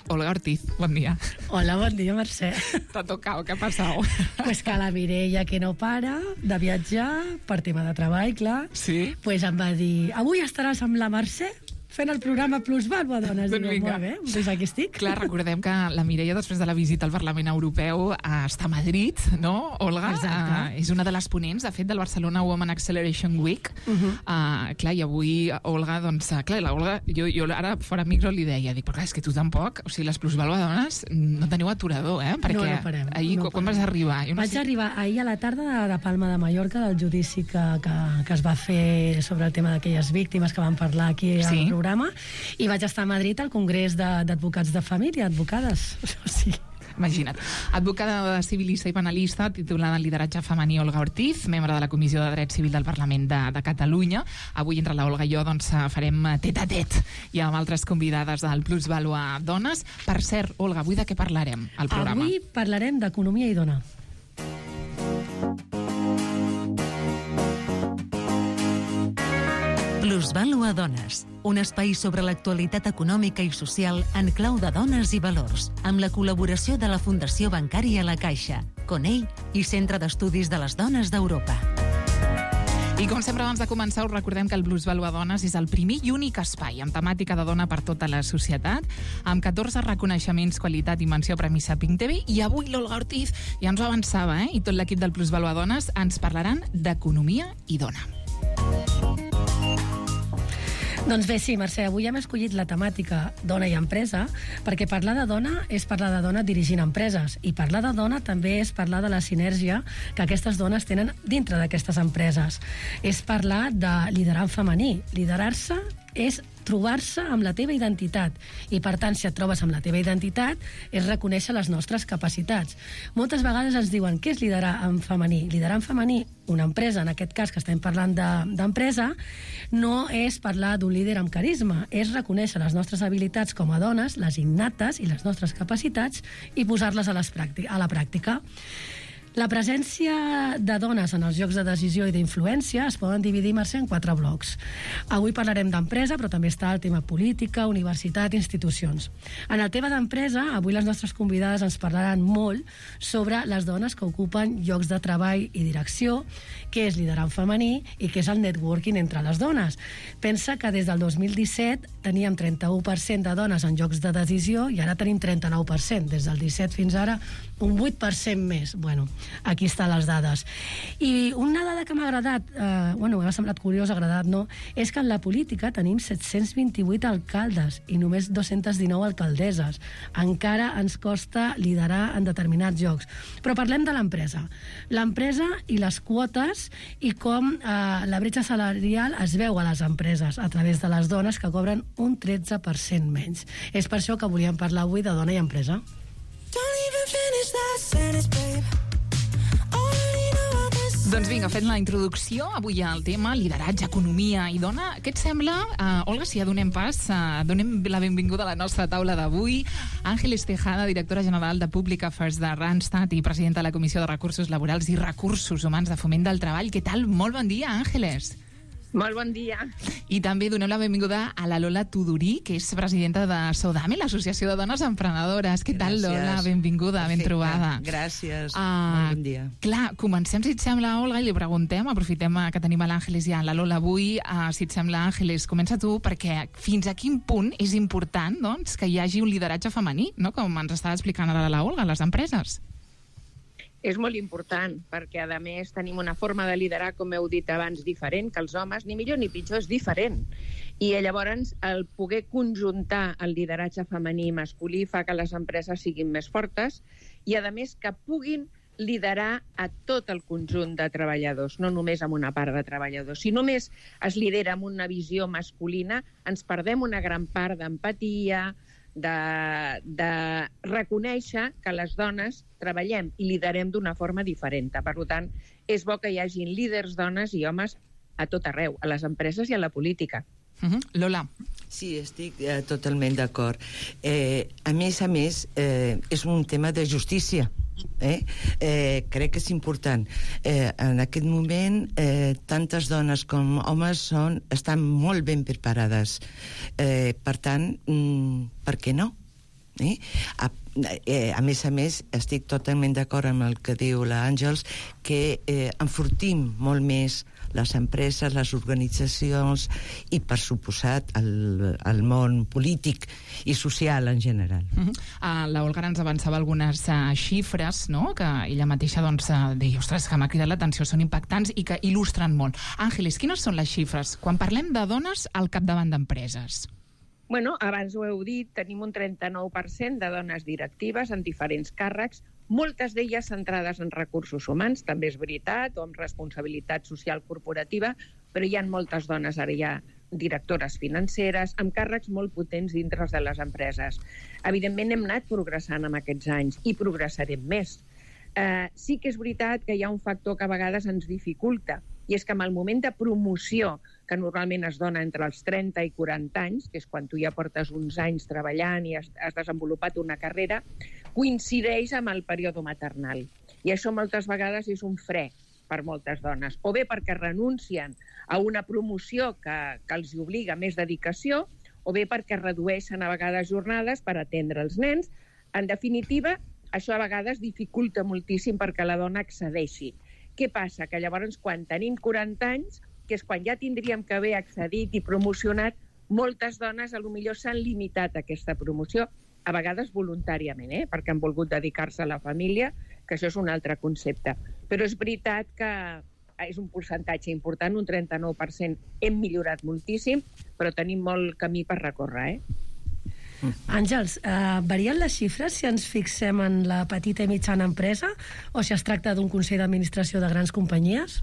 Olga Ortiz, bon dia. Hola, bon dia, Mercè. T'ha tocat, què ha passat? Pues que la Mireia, que no para de viatjar, per tema de treball, clar, sí? Pues em va dir, avui estaràs amb la Mercè fent el programa Plusvalua Dones. Doncs vinga. Molt bé, doncs aquí estic. Clar, recordem que la Mireia, després de la visita al Parlament Europeu, està a Madrid, no, Olga? És una de les ponents, de fet, del Barcelona Women Acceleration Week. Clar, i avui, Olga, doncs, clar, la Olga, jo ara fora micro li deia, dic, però clar, és que tu tampoc, o sigui, les Plusvalua Dones no teniu aturador, Perquè no parem. Ahir, quan vas arribar? Vaig arribar ahir a la tarda de Palma de Mallorca, del judici que es va fer sobre el tema d'aquelles víctimes que van parlar aquí al programa, i vaig estar a Madrid al Congrés d'Advocats de Família, advocades. O sigui... Imagina't. Advocada civilista i penalista, titulada en lideratge femení, Olga Ortiz, membre de la Comissió de Dret Civil del Parlament de Catalunya. Avui, entre la Olga i jo, doncs, farem tet-a-tet i amb altres convidades del Plusvalua Dones. Per cert, Olga, avui de què parlarem al programa? Avui parlarem d'economia i dona. Plusvalua Dones, un espai sobre l'actualitat econòmica i social en clau de dones i valors, amb la col·laboració de la Fundació Bancària La Caixa, CONEI i Centre d'Estudis de les Dones d'Europa. I com sempre, abans de començar, us recordem que el Plusvalua Dones és el primer i únic espai amb temàtica de dona per tota la societat, amb 14 reconeixements, qualitat i menció Premi Saping TV, i avui l'Olga Ortiz ja ens ho avançava, i tot l'equip del Plusvalua Dones ens parlaran d'economia i dona. Doncs bé, sí, Mercè, avui hem escollit la temàtica dona i empresa, perquè parlar de dona és parlar de dona dirigint empreses, i parlar de dona també és parlar de la sinergia que aquestes dones tenen dintre d'aquestes empreses. És parlar de liderar en femení. Liderar-se és trobar-se amb la teva identitat, i per tant, si et trobes amb la teva identitat, és reconèixer les nostres capacitats. Moltes vegades ens diuen, què és liderar en femení? Liderar en femení, una empresa, en aquest cas que estem parlant d'empresa, no és parlar d'un líder amb carisma, és reconèixer les nostres habilitats com a dones, les innates i les nostres capacitats, i posar-les a la pràctica. La presència de dones en els llocs de decisió i d'influència es poden dividir, Mercè, en 4 blocs. Avui parlarem d'empresa, però també està el tema política, universitat, institucions. En el tema d'empresa, avui les nostres convidades ens parlaran molt sobre les dones que ocupen llocs de treball i direcció, què és liderar en femení i què és el networking entre les dones. Pensa que des del 2017 teníem 31% de dones en llocs de decisió i ara tenim 39%. Des del 17 fins ara, un 8% més. Bueno, aquí estan les dades. I una dada que m'ha agradat, m'ha semblat curiosa, agradat no, és que en la política tenim 728 alcaldes i només 219 alcaldesses. Encara ens costa liderar en determinats llocs. Però parlem de l'empresa. L'empresa i les quotes i com la bretxa salarial es veu a les empreses a través de les dones, que cobren un 13% menys. És per això que volíem parlar avui de dona i empresa. Doncs vinga, fent la introducció, avui al tema lideratge, economia i dona. Què et sembla, Olga, si ja donem pas, donem la benvinguda a la nostra taula d'avui, Ángeles Tejada, directora general de Public Affairs de Randstad i presidenta de la Comissió de Recursos Laborals i Recursos Humans de Foment del Treball. Què tal? Molt bon dia, Ángeles. Molt bon dia. I també donem la benvinguda a la Lola Tudurí, que és presidenta de Sodame, l'Associació de Dones Emprenedores. Què tal, Lola? Benvinguda, ben trobada. Gràcies, molt bon dia. Clar, comencem, si et sembla, Olga, i li preguntem, aprofitem que tenim a l'Àngeles i a la Lola avui, si et sembla, Àngeles, comença tu, perquè fins a quin punt és important, doncs, que hi hagi un lideratge femení, no? Com ens estava explicant ara la Olga, a les empreses. És molt important, perquè, a més, tenim una forma de liderar, com heu dit abans, diferent que els homes, ni millor ni pitjor, és diferent. I llavors, el poder conjuntar el lideratge femení i masculí fa que les empreses siguin més fortes i, a més, que puguin liderar a tot el conjunt de treballadors, no només amb una part de treballadors. Si només es lidera amb una visió masculina, ens perdem una gran part d'empatia, de reconèixer que les dones treballem i liderem d'una forma diferent. Per tant, és bo que hi hagin líders dones i homes a tot arreu, a les empreses i a la política. Lola. Sí, estic totalment d'acord. A més, és un tema de justícia. Crec que és important. En aquest moment, tantes dones com homes estan molt ben preparades. Per tant, per què no? A més, estic totalment d'acord amb el que diu l'Àngels, que enfortim molt més les empreses, les organitzacions i, per suposat, el món polític i social en general. La Olga ens avançava algunes xifres, no?, que ella mateixa deia, ostres, que m'ha cridat l'atenció, són impactants i que il·lustren molt. Àngeles, quines són les xifres quan parlem de dones al capdavant d'empreses? Bueno, abans ho heu dit, tenim un 39% de dones directives en diferents càrrecs, moltes d'elles centrades en recursos humans, també és veritat, o amb responsabilitat social corporativa, però hi ha moltes dones ara ja directores financeres, amb càrrecs molt potents dintre de les empreses. Evidentment hem anat progressant en aquests anys i progressarem més. Sí que és veritat que hi ha un factor que a vegades ens dificulta, i és que en el moment de promoció, que normalment es dona entre els 30 i 40 anys, que és quan tu ja portes uns anys treballant i has desenvolupat una carrera, coincideix amb el període maternal. I això moltes vegades és un fre per moltes dones, o bé perquè renuncien a una promoció que els obliga a més dedicació, o bé perquè redueixen a vegades jornades per atendre els nens. En definitiva, això a vegades dificulta moltíssim perquè la dona accedeixi. Què passa? Que llavors, quan tenim 40 anys, que és quan ja tindríem que haver accedit i promocionat, moltes dones potser s'han limitat a aquesta promoció, a vegades voluntàriament, perquè han volgut dedicar-se a la família, que això és un altre concepte. Però és veritat que és un percentatge important, un 39%. Hem millorat moltíssim, però tenim molt camí per recórrer, Àngels, varien les xifres si ens fixem en la petita i mitjana empresa o si es tracta d'un consell d'administració de grans companyies?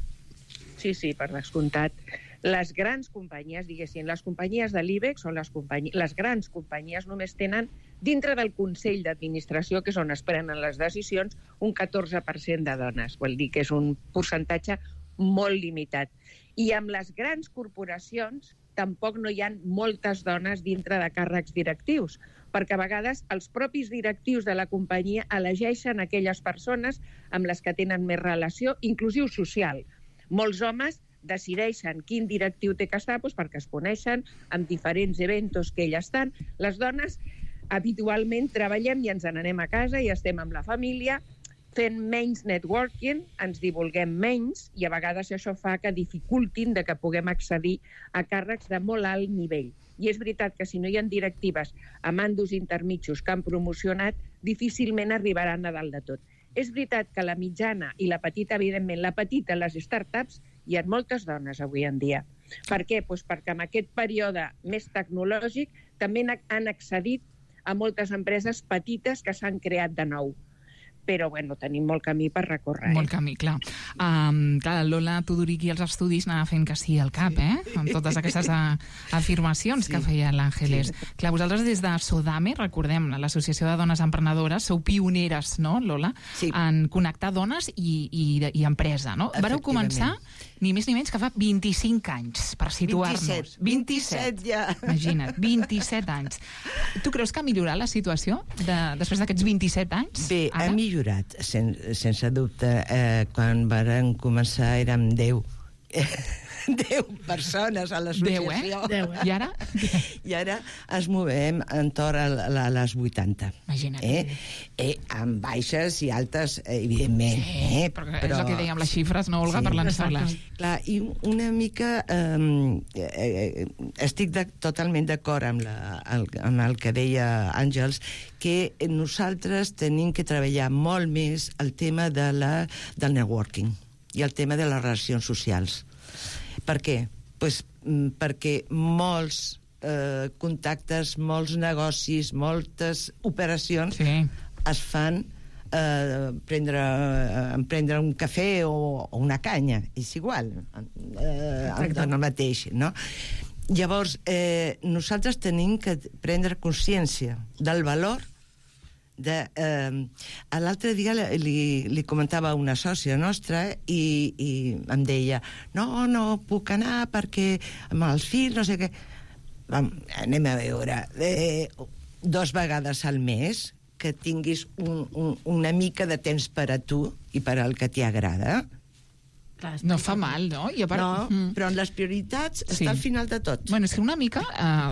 Sí, per descomptat. Les grans companyies, diguéssim, les companyies de l'IBEX o les grans companyies només tenen, dintre del Consell d'Administració, que és on es prenen les decisions, un 14% de dones. Vol dir que és un percentatge molt limitat. I amb les grans corporacions tampoc no hi ha moltes dones dintre de càrrecs directius, perquè a vegades els propis directius de la companyia elegeixen aquelles persones amb les que tenen més relació, inclusiu social. Molts homes decideixen quin directiu té que estar perquè es coneixen amb diferents eventos que elles estan. Les dones habitualment treballem i ens n'anem a casa i estem amb la família, fent menys networking, ens divulguem menys i a vegades això fa que dificultin de que puguem accedir a càrrecs de molt alt nivell. I és veritat que si no hi ha directives a mandos intermitjos que han promocionat, difícilment arribaran a dalt de tot. És veritat que la mitjana i la petita, evidentment, la petita, les startups, hi ha moltes dones avui en dia. Per què? Perquè en aquest període més tecnològic també han accedit a moltes empreses petites que s'han creat de nou. Però, tenim molt camí per recórrer. Molt camí, clar. Lola Tudoriqui als estudis anava fent que sí al cap, amb totes aquestes afirmacions que feia l'Àngeles. Clar, vosaltres des de Sodame, recordem, l'Associació de Dones Emprenedores, sou pioneres, no, Lola? En connectar dones i empresa, no? Vareu començar ni més ni menys que fa 25 anys, per situar-nos. 27 ja. Imagina't, 27 anys. Tu creus que ha millorat la situació després d'aquests 27 anys? Bé, ha millorat, sense dubte. Quan varen començar érem 10 persones a l'associació. 10, I ara? I ara ens movem entorn a les 80. Imagina't. Amb baixes i altes, evidentment. Però és el que dèiem, les xifres, no, Olga, per lançar-les. Clar, i una mica estic totalment d'acord amb el que deia Àngels, que nosaltres tenim que treballar molt més el tema del networking i el tema de les relacions socials. Per què? Perquè molts contactes, molts negocis, moltes operacions es fan prendre un cafè o una canya, és igual, en el mateix, no? Llavors, nosaltres tenim que prendre consciència del valor l'altre dia li comentava a una sòcia nostra i em deia no puc anar perquè amb els fills, no sé què. anem a veure, 2 vegades al mes, que tinguis una mica de temps per a tu i per al que t'hi agrada. No fa mal, no? No, però en les prioritats està al final de tot. Bueno, és que una mica,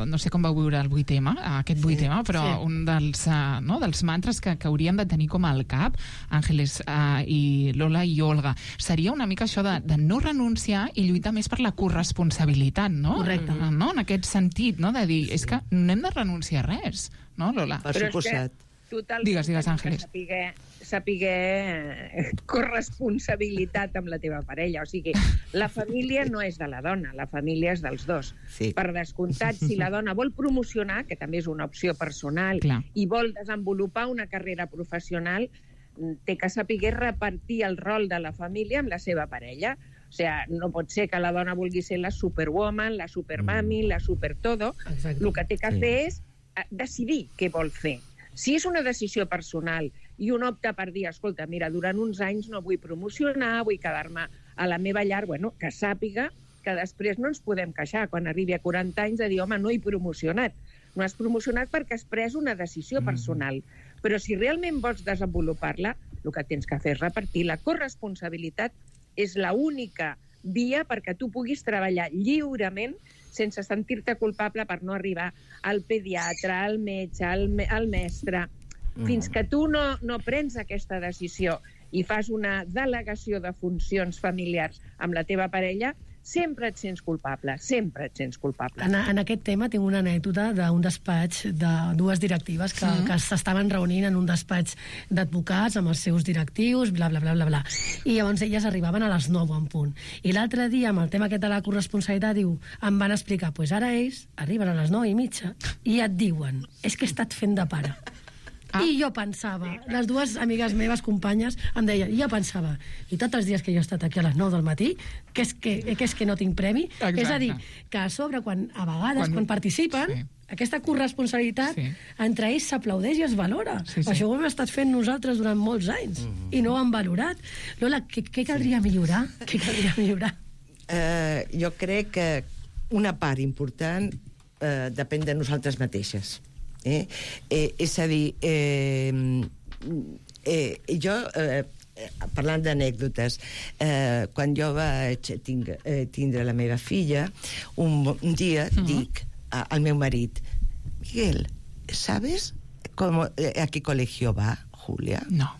no sé com vau viure el 8M, aquest 8M, però un dels mantres que hauríem de tenir com al cap, Àngeles i Lola i Olga, seria una mica això de no renunciar i lluitar més per la corresponsabilitat, no? Correcte. No? En aquest sentit, no? De dir, és que no hem de renunciar a res, no, Lola? Per suposat. Digues, Àngeles. Saber corresponsabilitat amb la teva parella. O sigui, la família no és de la dona, la família és dels dos. Sí. Per descomptat, si la dona vol promocionar, que també és una opció personal, i vol desenvolupar una carrera professional, té que saber repartir el rol de la família amb la seva parella. O sigui, no pot ser que la dona vulgui ser la superwoman, la supermami, la supertodo. Exacte. El que té que fer és decidir què vol fer. Si és una decisió personal i un opta per dir, escolta, mira, durant uns anys no vull promocionar, vull quedar-me a la meva llar, bueno, que sàpiga que després no ens podem queixar quan arribi a 40 anys de dir, home, no he promocionat. No has promocionat perquè has pres una decisió personal. Però si realment vols desenvolupar-la, el que tens que fer és repartir. La corresponsabilitat és l'única via perquè tu puguis treballar lliurement sense sentir-te culpable per no arribar al pediatre, al metge, al mestre. Fins que tu no prens aquesta decisió i fas una delegació de funcions familiars amb la teva parella, sempre et sents culpable, sempre et sents culpable. En aquest tema tinc una anècdota d'un despatx de 2 directives que s'estaven reunint en un despatx d'advocats amb els seus directius, bla, bla, bla, bla, bla. I llavors elles arribaven a les 9 en punt. I l'altre dia, amb el tema aquest de la corresponsabilitat, em van explicar, doncs ara ells arriben a les 9:30 i et diuen, és que he estat fent de pare. I jo pensava, les 2 amigues meves, companyes, em deien, i jo pensava, i tots els dies que jo he estat aquí a les 9 del matí, que és que no tinc premi? Exacte. És a dir, que a sobre, a vegades, quan participen, aquesta corresponsabilitat entre ells s'aplaudeix i es valora. Això ho hem estat fent nosaltres durant molts anys i no ho hem valorat. Lola, què caldria millorar? Jo crec que una part important depèn de nosaltres mateixes. És a dir, jo, parlant d'anècdotes, quan jo vaig tindre la meva filla, un dia dic al meu marit, Miguel, ¿sabes a qué colegio va Julia? No.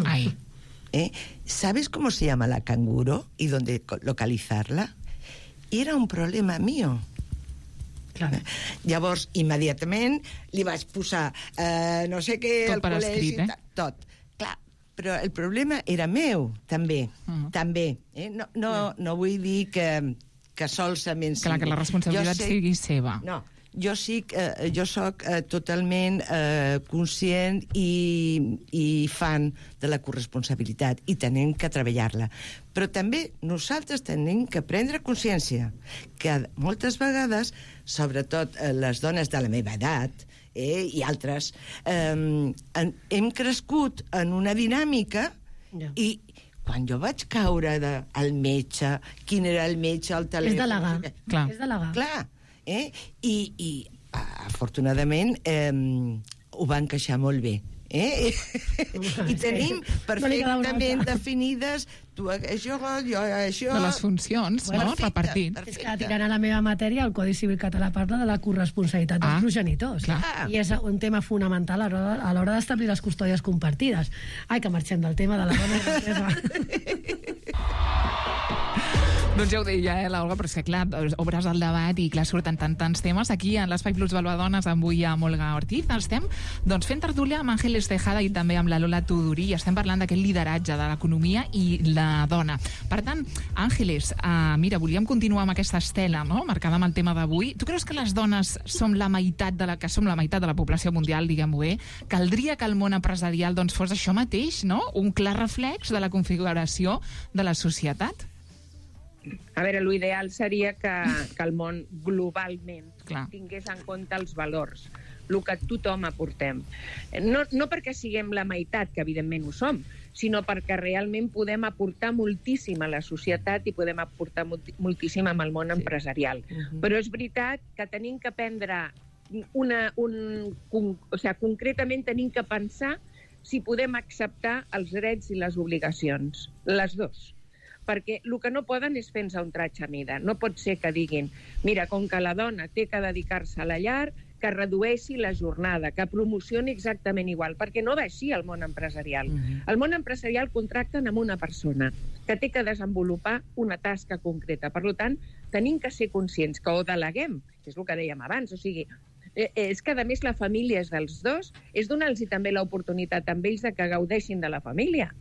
Ahí. ¿Sabes cómo se llama la canguro y dónde localizarla? Y era un problema mío. Llavors, immediatament li vaig posar no sé què al col·legi, tot. Clar, però el problema era meu, també. No vull dir que solament sigui. Clar, que la responsabilitat sigui seva. No, jo soc totalment conscient i fan de la corresponsabilitat i tenim que treballar-la. Però també nosaltres tenim que prendre consciència que moltes vegades, sobretot les dones de la meva edat i altres, hem crescut en una dinàmica i quan jo vaig caure al metge, quin era el metge, el telèfon... És delegar. Clar. I afortunadament ho van queixar molt bé. I tenim perfectament definides tu això, jo això... De les funcions, no? Repartit. És que tirant a la meva matèria, el Codi Civil català parla de la corresponsabilitat dels progenitors. I és un tema fonamental a l'hora d'establir les custòdies compartides. Ai, que marxem del tema de la dona i l'empresa. Doncs ja ho deia, l'Olga, però és que, clar, obres el debat i, clar, surten tants temes. Aquí, en l'Espai Plus Valvadones, avui amb Olga Ortiz, estem fent tertúlia amb Àngeles Tejada i també amb la Lola Tudurí, i estem parlant d'aquest lideratge de l'economia i la dona. Per tant, Àngeles, mira, volíem continuar amb aquesta estela, no?, marcada amb el tema d'avui. Tu creus que les dones som la meitat de la població mundial, diguem-ho bé? Caldria que el món empresarial fos això mateix, no?, un clar reflex de la configuració de la societat? A veure, l'ideal seria que el món globalment tingués en compte els valors el que tothom aportem. No perquè siguem la meitat, que evidentment ho som, sinó perquè realment podem aportar moltíssim a la societat i podem aportar moltíssim amb el món empresarial. Però és veritat que tenim que prendre concretament tenim que pensar si podem acceptar els drets i les obligacions, les dos. Perquè el que no poden és fer-nos un tratge a mida. No pot ser que diguin, mira, com que la dona té que dedicar-se a la llar, que redueixi la jornada, que promocioni exactament igual, perquè no va així el món empresarial. El món empresarial contracten amb una persona que té que desenvolupar una tasca concreta. Per tant, tenim que ser conscients que ho deleguem, que és el que dèiem abans, o sigui, és que, a més, la família és dels dos, és donar-los també l'oportunitat amb ells de que gaudeixin de la família.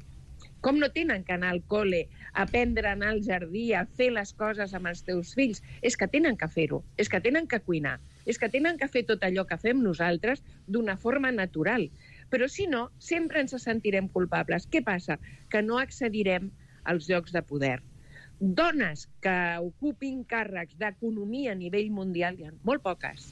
Com no tenen que anar al col·le, aprendre a anar al jardí, a fer les coses amb els teus fills? És que tenen que fer-ho, és que tenen que cuinar, és que tenen que fer tot allò que fem nosaltres d'una forma natural. Però si no, sempre ens sentirem culpables. Què passa? Que no accedirem als llocs de poder. Dones que ocupin càrrecs d'economia a nivell mundial hi ha molt poques.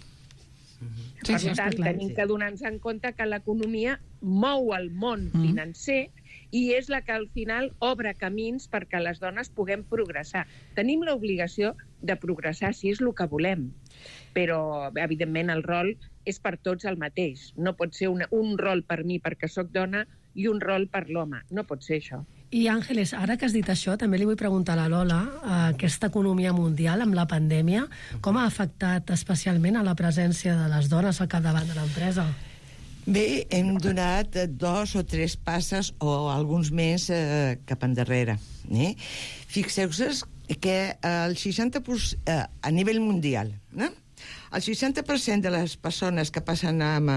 Per tant, tenim que donar-nos en compte que l'economia mou el món financer i és la que al final obre camins perquè les dones puguem progressar. Tenim l'obligació de progressar si és el que volem, però evidentment el rol és per tots el mateix. No pot ser un rol per mi perquè sóc dona i un rol per l'home. No pot ser això. I Àngeles, ara que has dit això, també li vull preguntar a la Lola, aquesta economia mundial amb la pandèmia, com ha afectat especialment a la presència de les dones al capdavant de l'empresa? Bé, hem donat 2 o 3 passes o alguns més cap endarrere. Fixeu-vos que el 60% a nivell mundial, el 60% de les persones que passen amb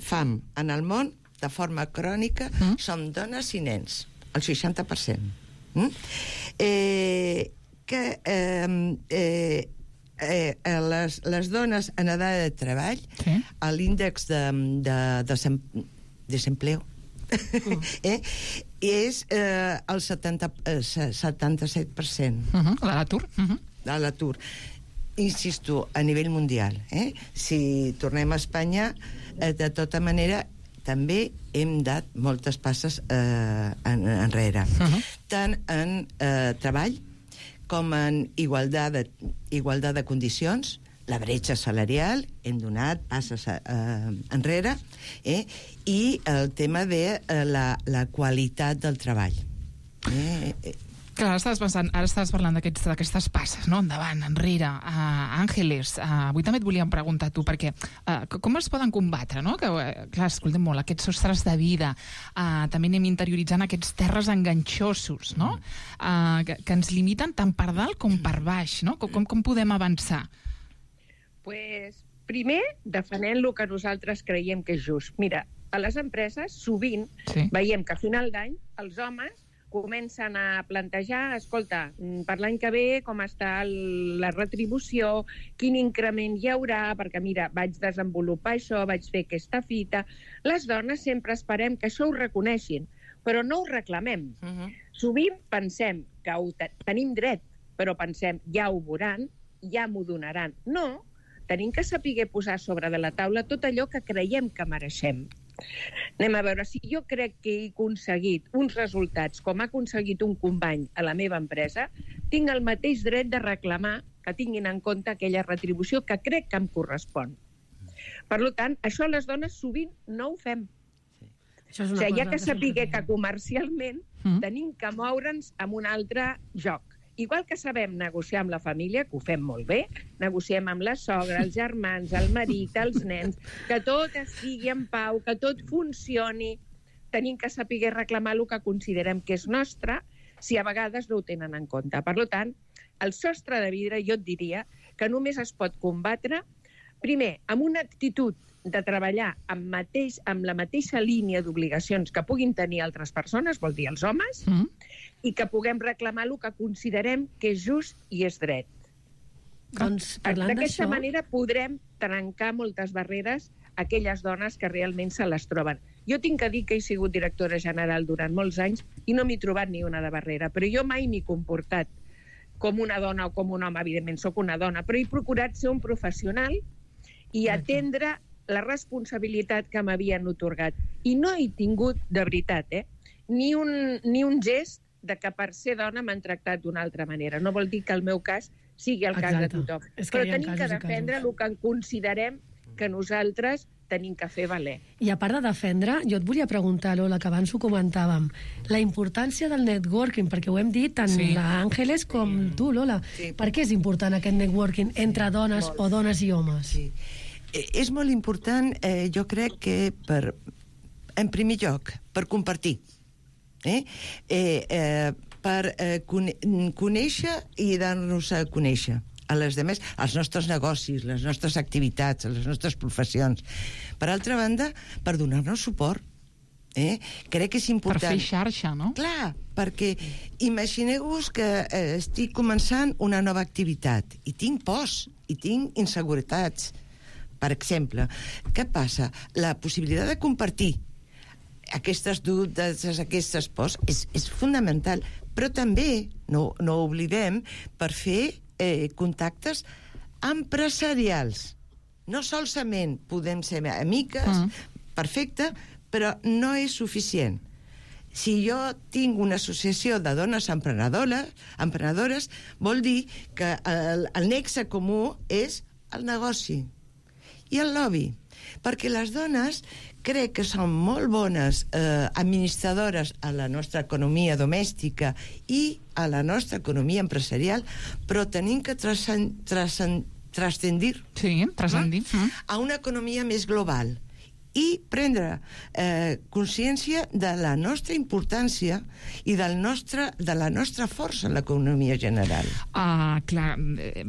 fam en el món de forma crònica són dones i nens, el 60%. Les dones en edat de treball, l'índex de desempleo és el 77%. De l'atur. Insisto, a nivell mundial. Si tornem a Espanya, de tota manera, també hem dat moltes passes enrere. Tant en treball com en igualtat de condicions, la bretxa salarial, hem donat passes enrere, i el tema de la qualitat del treball. Clar, ara estaves parlant d'aquestes passes, no? Endavant, enrere. Àngeles, avui també et volíem preguntar a tu, perquè com es poden combatre, no? Que, clar, escoltem molt, aquests sostres de vida, també anem interioritzant aquests terres enganxosos, no? Que ens limiten tant per dalt com per baix, no? Com podem avançar? Pues, primer, defenent el que nosaltres creiem que és just. Mira, a les empreses sovint veiem que a final d'any els homes comencen a plantejar, escolta, per l'any que ve com està la retribució, quin increment hi haurà, perquè mira, vaig desenvolupar això, vaig fer aquesta fita. Les dones sempre esperem que això ho reconeixin, però no ho reclamem. Sovint pensem que tenim dret, però pensem, ja ho veuran, ja m'ho donaran. No, tenim que saber posar sobre de la taula tot allò que creiem que mereixem. Anem a veure, si jo crec que he aconseguit uns resultats com ha aconseguit un company a la meva empresa, tinc el mateix dret de reclamar que tinguin en compte aquella retribució que crec que em correspon. Per tant, això les dones sovint no ho fem. O sigui, hi ha que saber que comercialment tenim que moure'ns en un altre joc. Igual que sabem negociar amb la família, que ho fem molt bé, negociem amb la sogra, els germans, el marit, els nens, que tot estigui en pau, que tot funcioni. Tenim que saber reclamar el que considerem que és nostre, si a vegades no ho tenen en compte. Per tant, el sostre de vidre jo et diria que només es pot combatre, primer, amb una actitud de treballar amb la mateixa línia d'obligacions que puguin tenir altres persones, vol dir els homes, i que puguem reclamar el que considerem que és just i és dret. D'aquesta manera podrem trencar moltes barreres a aquelles dones que realment se les troben. Jo tinc que dir que he sigut directora general durant molts anys i no m'he trobat ni una de barrera, però jo mai m'he comportat com una dona o com un home, evidentment soc una dona, però he procurat ser un professional i atendre la responsabilitat que m'havien otorgat. I no he tingut, de veritat, ni un gest de que per ser dona m'han tractat d'una altra manera. No vol dir que el meu cas sigui el cas de tothom. Però tenim que defendre el que considerem que nosaltres tenim que fer valer. I a part de defendre, jo et volia preguntar, Lola, que abans ho comentàvem, la importància del networking, perquè ho hem dit tant l'Àngeles com tu, Lola. Per què és important aquest networking entre dones o dones i homes? És molt important, jo crec que en primer lloc, per compartir. Per conèixer i dar-nos a conèixer a les demés, als nostres negocis, les nostres activitats, les nostres professions. Per altra banda, per donar-nos suport. Crec que és important. Per fer xarxa, no? Clar, perquè imagineu-vos que estic començant una nova activitat i tinc pors, i tinc inseguretats. Per exemple, què passa? La possibilitat de compartir aquestes dubtes, aquestes pors, és fonamental. Però també, no oblidem, per fer contactes empresarials. No solament podem ser amigues, perfecte, però no és suficient. Si jo tinc una associació de dones emprenedores, vol dir que el nexe comú és el negoci i el lobby. Perquè les dones crec que són molt bones administradores a la nostra economia domèstica i a la nostra economia empresarial, però tenim que transcendir a una economia més global i prendre consciència de la nostra importància i de la nostra força en l'economia general. Clar,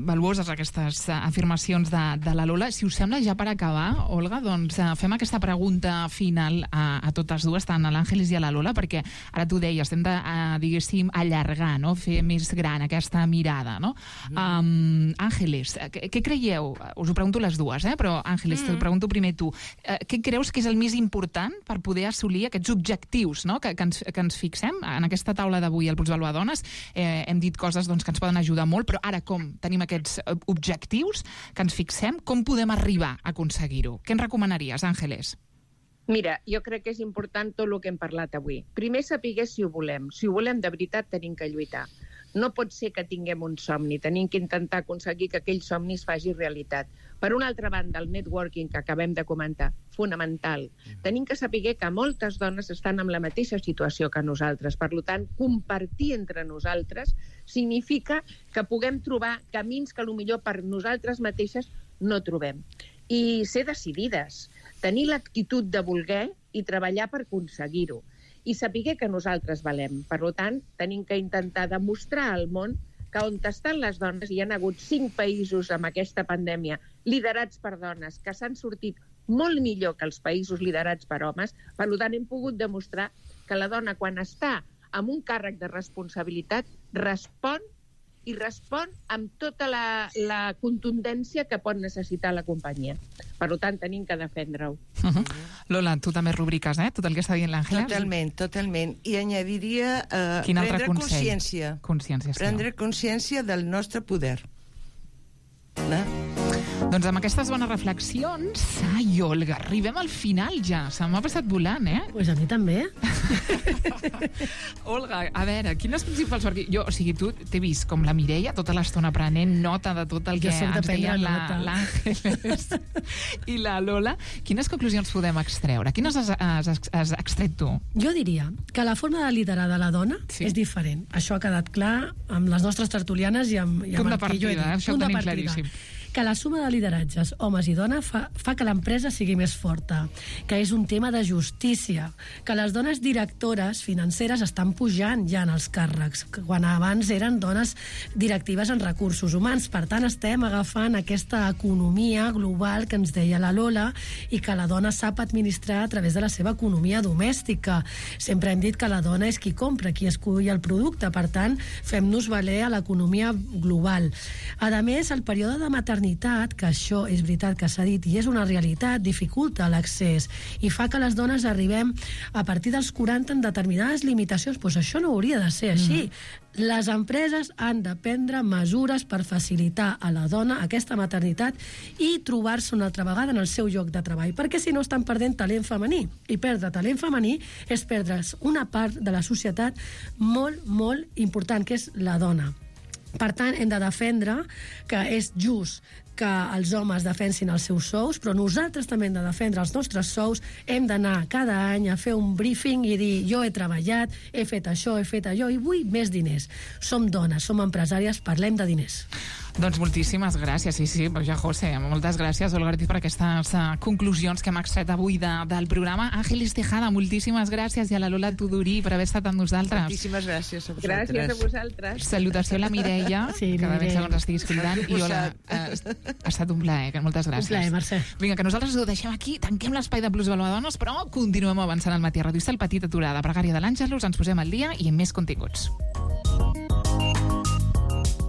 valuoses aquestes afirmacions de la Lola. Si us sembla, ja per acabar, Olga, doncs fem aquesta pregunta final a totes dues, tant a l'Àngeles i a la Lola, perquè ara tu deies, hem de, diguéssim, allargar, no? Fer més gran aquesta mirada, no? Àngeles, què creieu? Us ho pregunto les dues, però Àngeles, t'ho pregunto primer tu. Què creus que és el més important per poder assolir aquests objectius, no? que ens fixem en aquesta taula d'avui al Pulsvalor Dones? Hem dit coses que ens poden ajudar molt, però ara com tenim aquests objectius que ens fixem, com podem arribar a aconseguir-ho? Què ens recomanaries, Àngeles? Mira, jo crec que és important tot el que hem parlat avui. Primer, saber si ho volem. Si ho volem de veritat, tenim que lluitar. No pot ser que tinguem un somni, tenim que intentar aconseguir que aquell somni es faci realitat. Per una altra banda, el networking que acabem de comentar, fonamental. Tenim que saber que moltes dones estan en la mateixa situació que nosaltres. Per tant, compartir entre nosaltres significa que puguem trobar camins que potser per nosaltres mateixes no trobem. I ser decidides, tenir l'actitud de voler i treballar per aconseguir-ho. I saber que nosaltres valem. Per tant, tenim que intentar demostrar al món que on estan les dones, hi ha hagut 5 països amb aquesta pandèmia liderats per dones que s'han sortit molt millor que els països liderats per homes. Per tant, hem pogut demostrar que la dona, quan està amb un càrrec de responsabilitat, respon amb tota la contundència que pot necessitar la companyia. Per tant, tenim que defendre-ho. Lola, tu també rubriques, tot el que està dient l'Àngela? Totalment. I añadiria prendre consciència. Prendre consciència del nostre poder. Doncs amb aquestes bones reflexions, Olga, arribem al final ja. Se m'ha passat volant, Pues a mi també. Olga, a veure, quines principals... Jo, o sigui, tu t'he vist com la Mireia tota l'estona prenent nota de tot el que ens deien l'Àngeles i la Lola. Quines conclusions podem extreure? Quines has extret tu? Jo diria que la forma de liderar de la dona és diferent. Això ha quedat clar amb les nostres tertulianes i amb el que jo he dit. Això ho tenim claríssim. Que la suma de lideratges, homes i dones, fa que l'empresa sigui més forta, que és un tema de justícia, que les dones directores financeres estan pujant ja en els càrrecs, quan abans eren dones directives en recursos humans. Per tant, estem agafant aquesta economia global que ens deia la Lola i que la dona sap administrar a través de la seva economia domèstica. Sempre hem dit que la dona és qui compra, qui escull el producte. Per tant, fem-nos valer a l'economia global. A més, el període de maternitat maternitat, que això és veritat que s'ha dit i és una realitat, dificulta l'accés i fa que les dones arribem a partir dels 40 en determinades limitacions. Doncs això no hauria de ser així. Les empreses han de prendre mesures per facilitar a la dona aquesta maternitat i trobar-se una altra vegada en el seu lloc de treball, perquè si no estan perdent talent femení. I perdre talent femení és perdre's una part de la societat molt, molt important, que és la dona. Per tant, hem de defendre que és just que els homes defensin els seus sous, però nosaltres també hem de defendre els nostres sous, hem d'anar cada any a fer un briefing i dir jo he treballat, he fet això, he fet allò, i vull més diners. Som dones, som empresàries, parlem de diners. Doncs moltíssimes gràcies, sí, ja José, moltes gràcies, Olga Ortiz, per aquestes conclusions que hem extret avui del programa. Àngeles Tejada, moltíssimes gràcies, i a la Lola Tudurí per haver estat amb nosaltres. Moltíssimes gràcies a vosaltres. Gràcies a vosaltres. Salutació a la Mireia, que de ben segur ens estiguis cridant, i hola, ha estat un plaer, moltes gràcies. Un plaer, Mercè. Vinga, que nosaltres ho deixem aquí, tanquem l'espai de Plusvalor a Dones, però continuem avançant al matí a Ràdio Estel, petita aturada, pregària de l'Àngelus, ens posem al dia i amb més continguts.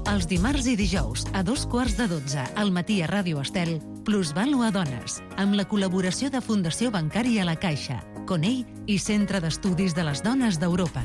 Els dimarts i dijous, a 2:15, al matí a Ràdio Estel, Plusvalor a Dones, amb la col·laboració de Fundació Bancària La Caixa, Conell i Centre d'Estudis de les Dones d'Europa.